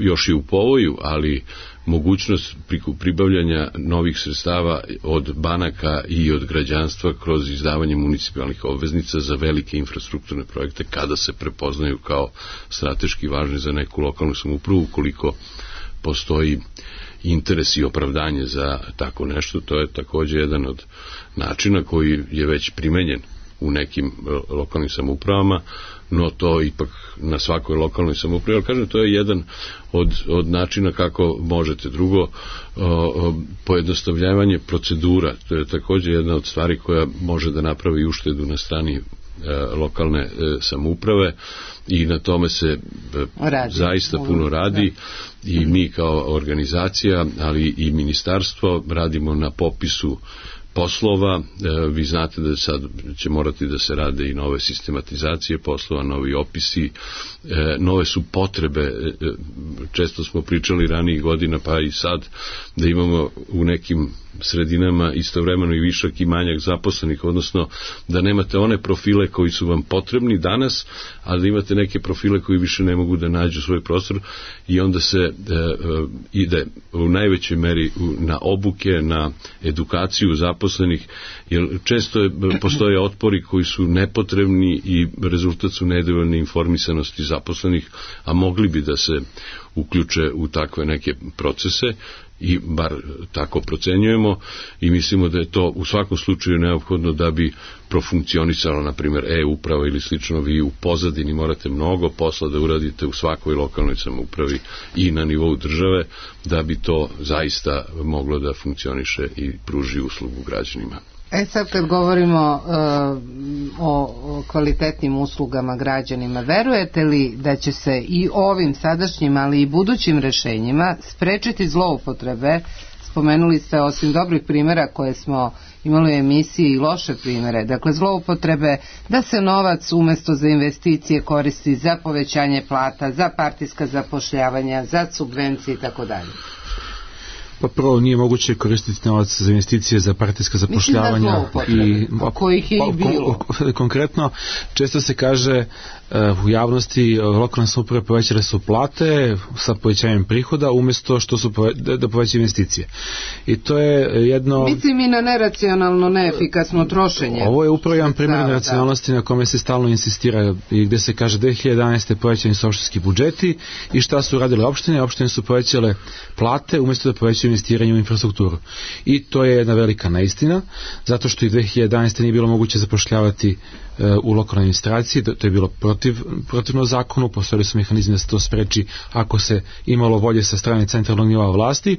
još je u povoju, ali mogućnost pribavljanja novih sredstava od banaka i od građanstva kroz izdavanje municipalnih obveznica za velike infrastrukturne projekte kada se prepoznaju kao strateški važni za neku lokalnu samoupravu, ukoliko postoji interes i opravdanje za tako nešto. To je također jedan od načina koji je već primenjen u nekim lokalnim samoupravama, no to ipak na svakoj lokalnoj samoupravi, ali kažem, to je jedan od, od načina kako možete. Drugo, o, o, pojednostavljavanje procedura, to je također jedna od stvari koja može da napravi uštedu na strani e, lokalne e, samouprave, i na tome se e, radi. zaista puno radi, da. I mi kao organizacija, ali i ministarstvo radimo na popisu poslova. Vi znate da sad će morati da se rade i nove sistematizacije poslova, novi opisi, nove su potrebe. Često smo pričali ranijih godina, pa i sad, da imamo u nekim sredinama istovremeno i višak i manjak zaposlenih, odnosno da nemate one profile koji su vam potrebni danas, a da imate neke profile koji više ne mogu da nađu svoj prostor, i onda se e, ide u najvećoj meri na obuke, na edukaciju zaposlenih, jer često je, postoje otpori koji su nepotrebni i rezultat su nedovoljne informisanosti zaposlenih, a mogli bi da se uključe u takve neke procese i bar tako procenjujemo i mislimo da je to u svakom slučaju neophodno da bi profunkcionisalo, na primjer, e-uprava ili slično. Vi u pozadini morate mnogo posla da uradite u svakoj lokalnoj samoupravi i na nivou države da bi to zaista moglo da funkcioniše i pruži uslugu građanima. E sad kad govorimo uh, o, o kvalitetnim uslugama građanima, verujete li da će se i ovim sadašnjim, ali i budućim rešenjima sprečiti zloupotrebe? Spomenuli ste osim dobrih primjera koje smo imali u emisiji i loše primjere, dakle zloupotrebe da se novac umesto za investicije koristi za povećanje plata, za partijska zapošljavanja, za subvencije i tako dalje. Pa prvo nije moguće koristiti novac za investicije, za partijska zapošljavanja i kojih je i bilo. Konkretno, često se kaže u javnosti lokalne samouprave povećale su plate sa povećanjem prihoda umjesto što su pove, da povećaju investicije. I to je jedno... Mislim i na neracionalno, neefikasno trošenje. Ovo je upravo jedan primjer neracionalnosti na kome se stalno insistira i gde se kaže dve hiljade jedanaeste. povećani su opštinski budžeti i šta su radile opštine? Opštine su povećale plate umjesto da povećaju investiranje u infrastrukturu. I to je jedna velika neistina, zato što i dve hiljade jedanaeste. nije bilo moguće zapošljavati u lokalnoj administraciji, to je bilo protiv, protivno zakonu, postojali su mehanizmi da se to spreči ako se imalo volje sa strane centralnog nivoa vlasti.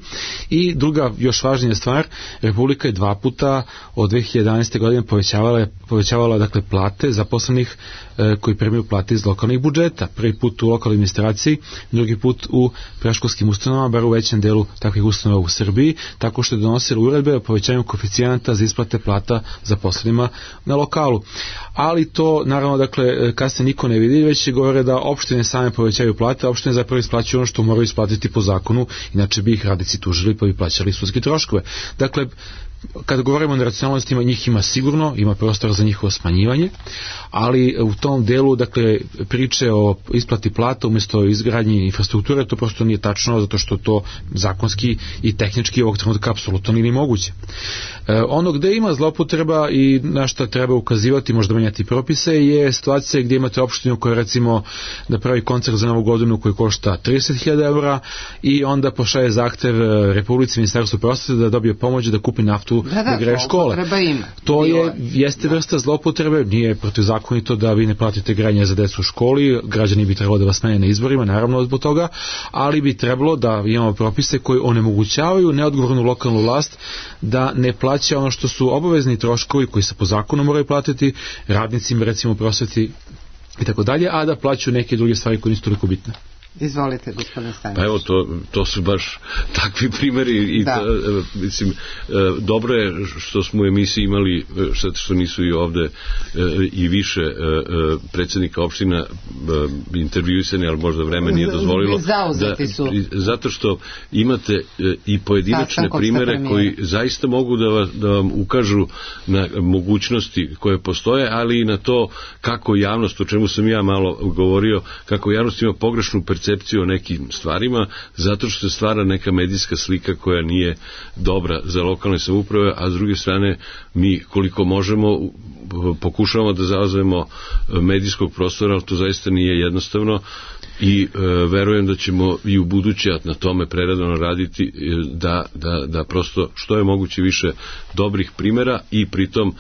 I druga, još važnija stvar, Republika je dva puta od dve hiljade jedanaeste. godine povećavala, povećavala dakle plate zaposlenih e, koji primaju plate iz lokalnih budžeta. Prvi put u lokalnoj administraciji, drugi put u predškolskim ustanovama, bar u većem delu takvih ustanova u Srbiji, tako što je donosila uredbe o povećanju koeficijenata za isplate plata zaposlenima na lokalu. Ali to, naravno, dakle, kasnije niko ne vidi, već će govore da opštine same povećaju plate, a opštine zapravo isplaćuju ono što moraju isplatiti po zakonu, inače bi ih radnici tužili pa bi plaćali sudske troškove. Dakle, kada govorimo o neracionalnostima, njih ima sigurno, ima prostor za njihovo smanjivanje, ali u tom delu, dakle, priče o isplati plata umjesto izgradnje infrastrukture, to prosto nije tačno, zato što to zakonski i tehnički ovog trenutka apsolutno nije moguće. E, ono gde ima zloupotreba i na šta treba ukazivati, možda menjati propise, je situacija gdje imate opštinu koja, recimo, da pravi koncert za novu godinu koji košta trideset hiljada eura i onda pošalje zahtev Republici, Ministarstvu prosvete da dobije pomoć da kupi naftu da, da, da greje škole. To je, jeste vrsta zloupotrebe, nije protivzakonito da vi ne platite grejanje za decu u školi, građani bi trebalo da vas smene na izborima, naravno zbog toga, ali bi trebalo da imamo propise koji onemogućavaju neodgovornu lokalnu vlast da ne plaća ono što su obavezni troškovi koji se po zakonu moraju platiti radnicima, recimo u prosveti i tako dalje, a da plaćaju neke druge stvari koje nisu toliko bitne. Izvolite, gospodine Stanić. Pa evo, to, to su baš takvi primjeri i ta, mislim, dobro je što smo u emisiji imali, što, što nisu i ovde i više predsjednika opština intervjuisani, ali možda vreme nije dozvolilo. Zauzeti su. Da, zato što imate i pojedinačne primjere koji zaista mogu da, vas, da vam ukažu na mogućnosti koje postoje, ali i na to kako javnost, o čemu sam ja malo govorio, kako javnost ima pogrešnu percepciju o nekim stvarima, zato što se stvara neka medijska slika koja nije dobra za lokalne samouprave, a s druge strane mi koliko možemo pokušavamo da zauzmemo medijskog prostora, ali to zaista nije jednostavno i e, verujem da ćemo i u buduće na tome preradno raditi da, da, da prosto što je moguće više dobrih primjera i pritom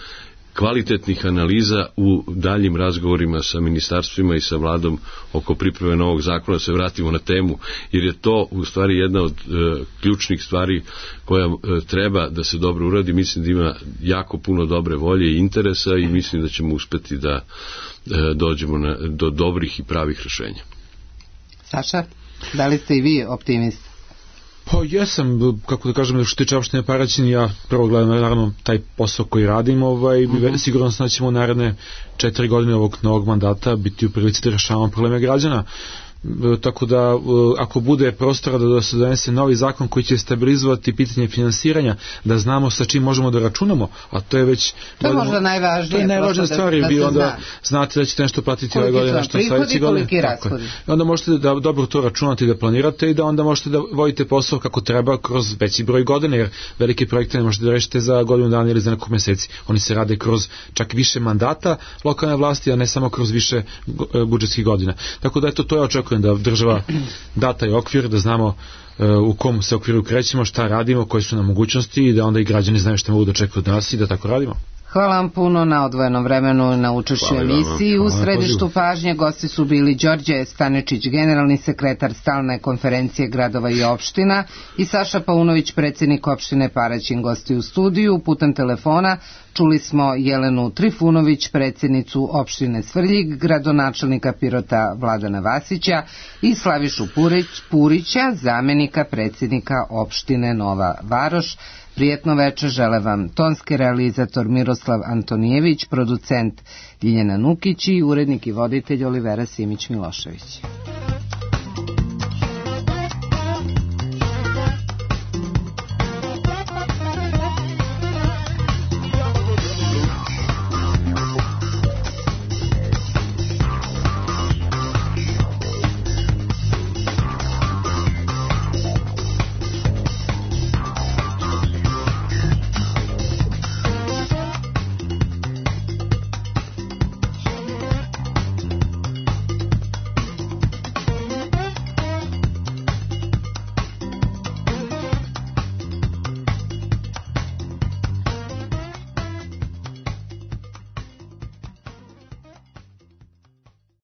kvalitetnih analiza u daljim razgovorima sa ministarstvima i sa vladom oko pripreme novog zakona, se vratimo na temu, jer je to u stvari jedna od e, ključnih stvari koja e, treba da se dobro uradi. Mislim da ima jako puno dobre volje i interesa i mislim da ćemo uspeti da e, dođemo na, do dobrih i pravih rešenja. Saša, da li ste i vi optimist? Pa jesam, kako da kažem, što tiče opštine Paraćin, ja prvo gledam naravno taj posao koji radim, ovaj, uh-huh. sigurno se da ćemo naredne četiri godine ovog novog mandata biti u prilici da rešavamo probleme građana. Tako da ako bude prostora da se donese novi zakon koji će stabilizovati pitanje finansiranja, da znamo sa čim možemo da računamo, a to je već to je možda najvažnije, to je najvažnija stvar, da, da vi onda zna. Znate da ćete nešto platiti ove godine, nešto sledeće godine, i onda možete da dobro to računate i da planirate i da onda možete da vodite posao kako treba kroz veći broj godina, jer velike projekte ne možete da rešite za godinu dana ili za nekoliko meseci, oni se rade kroz čak više mandata lokalne vlasti, a ne samo kroz više budžetskih godina. Tako da eto, to je očekujemo očekujem da država da taj okvir, da znamo u kom se okviru krećemo, šta radimo, koje su nam mogućnosti i da onda i građani znaju što mogu da očekuju od nas i da tako radimo. Hvala vam puno na odvojenom vremenu na učešću emisiji. U središtu pažnje gosti su bili Đorđe Stanečić, generalni sekretar Stalne konferencije gradova i opština, i Saša Paunović, predsjednik opštine Paraćin. Gosti u studiju putem telefona čuli smo Jelenu Trifunović, predsjednicu opštine Svrljig, gradonačelnika Pirota Vladana Vasića i Slavišu Purić, Purića, zamenika predsjednika opštine Nova Varoš. Prijetno večer žele vam tonski realizator Miroslav Antonijević, producent Ljiljana Nukić i urednik i voditelj Olivera Simić-Milošević.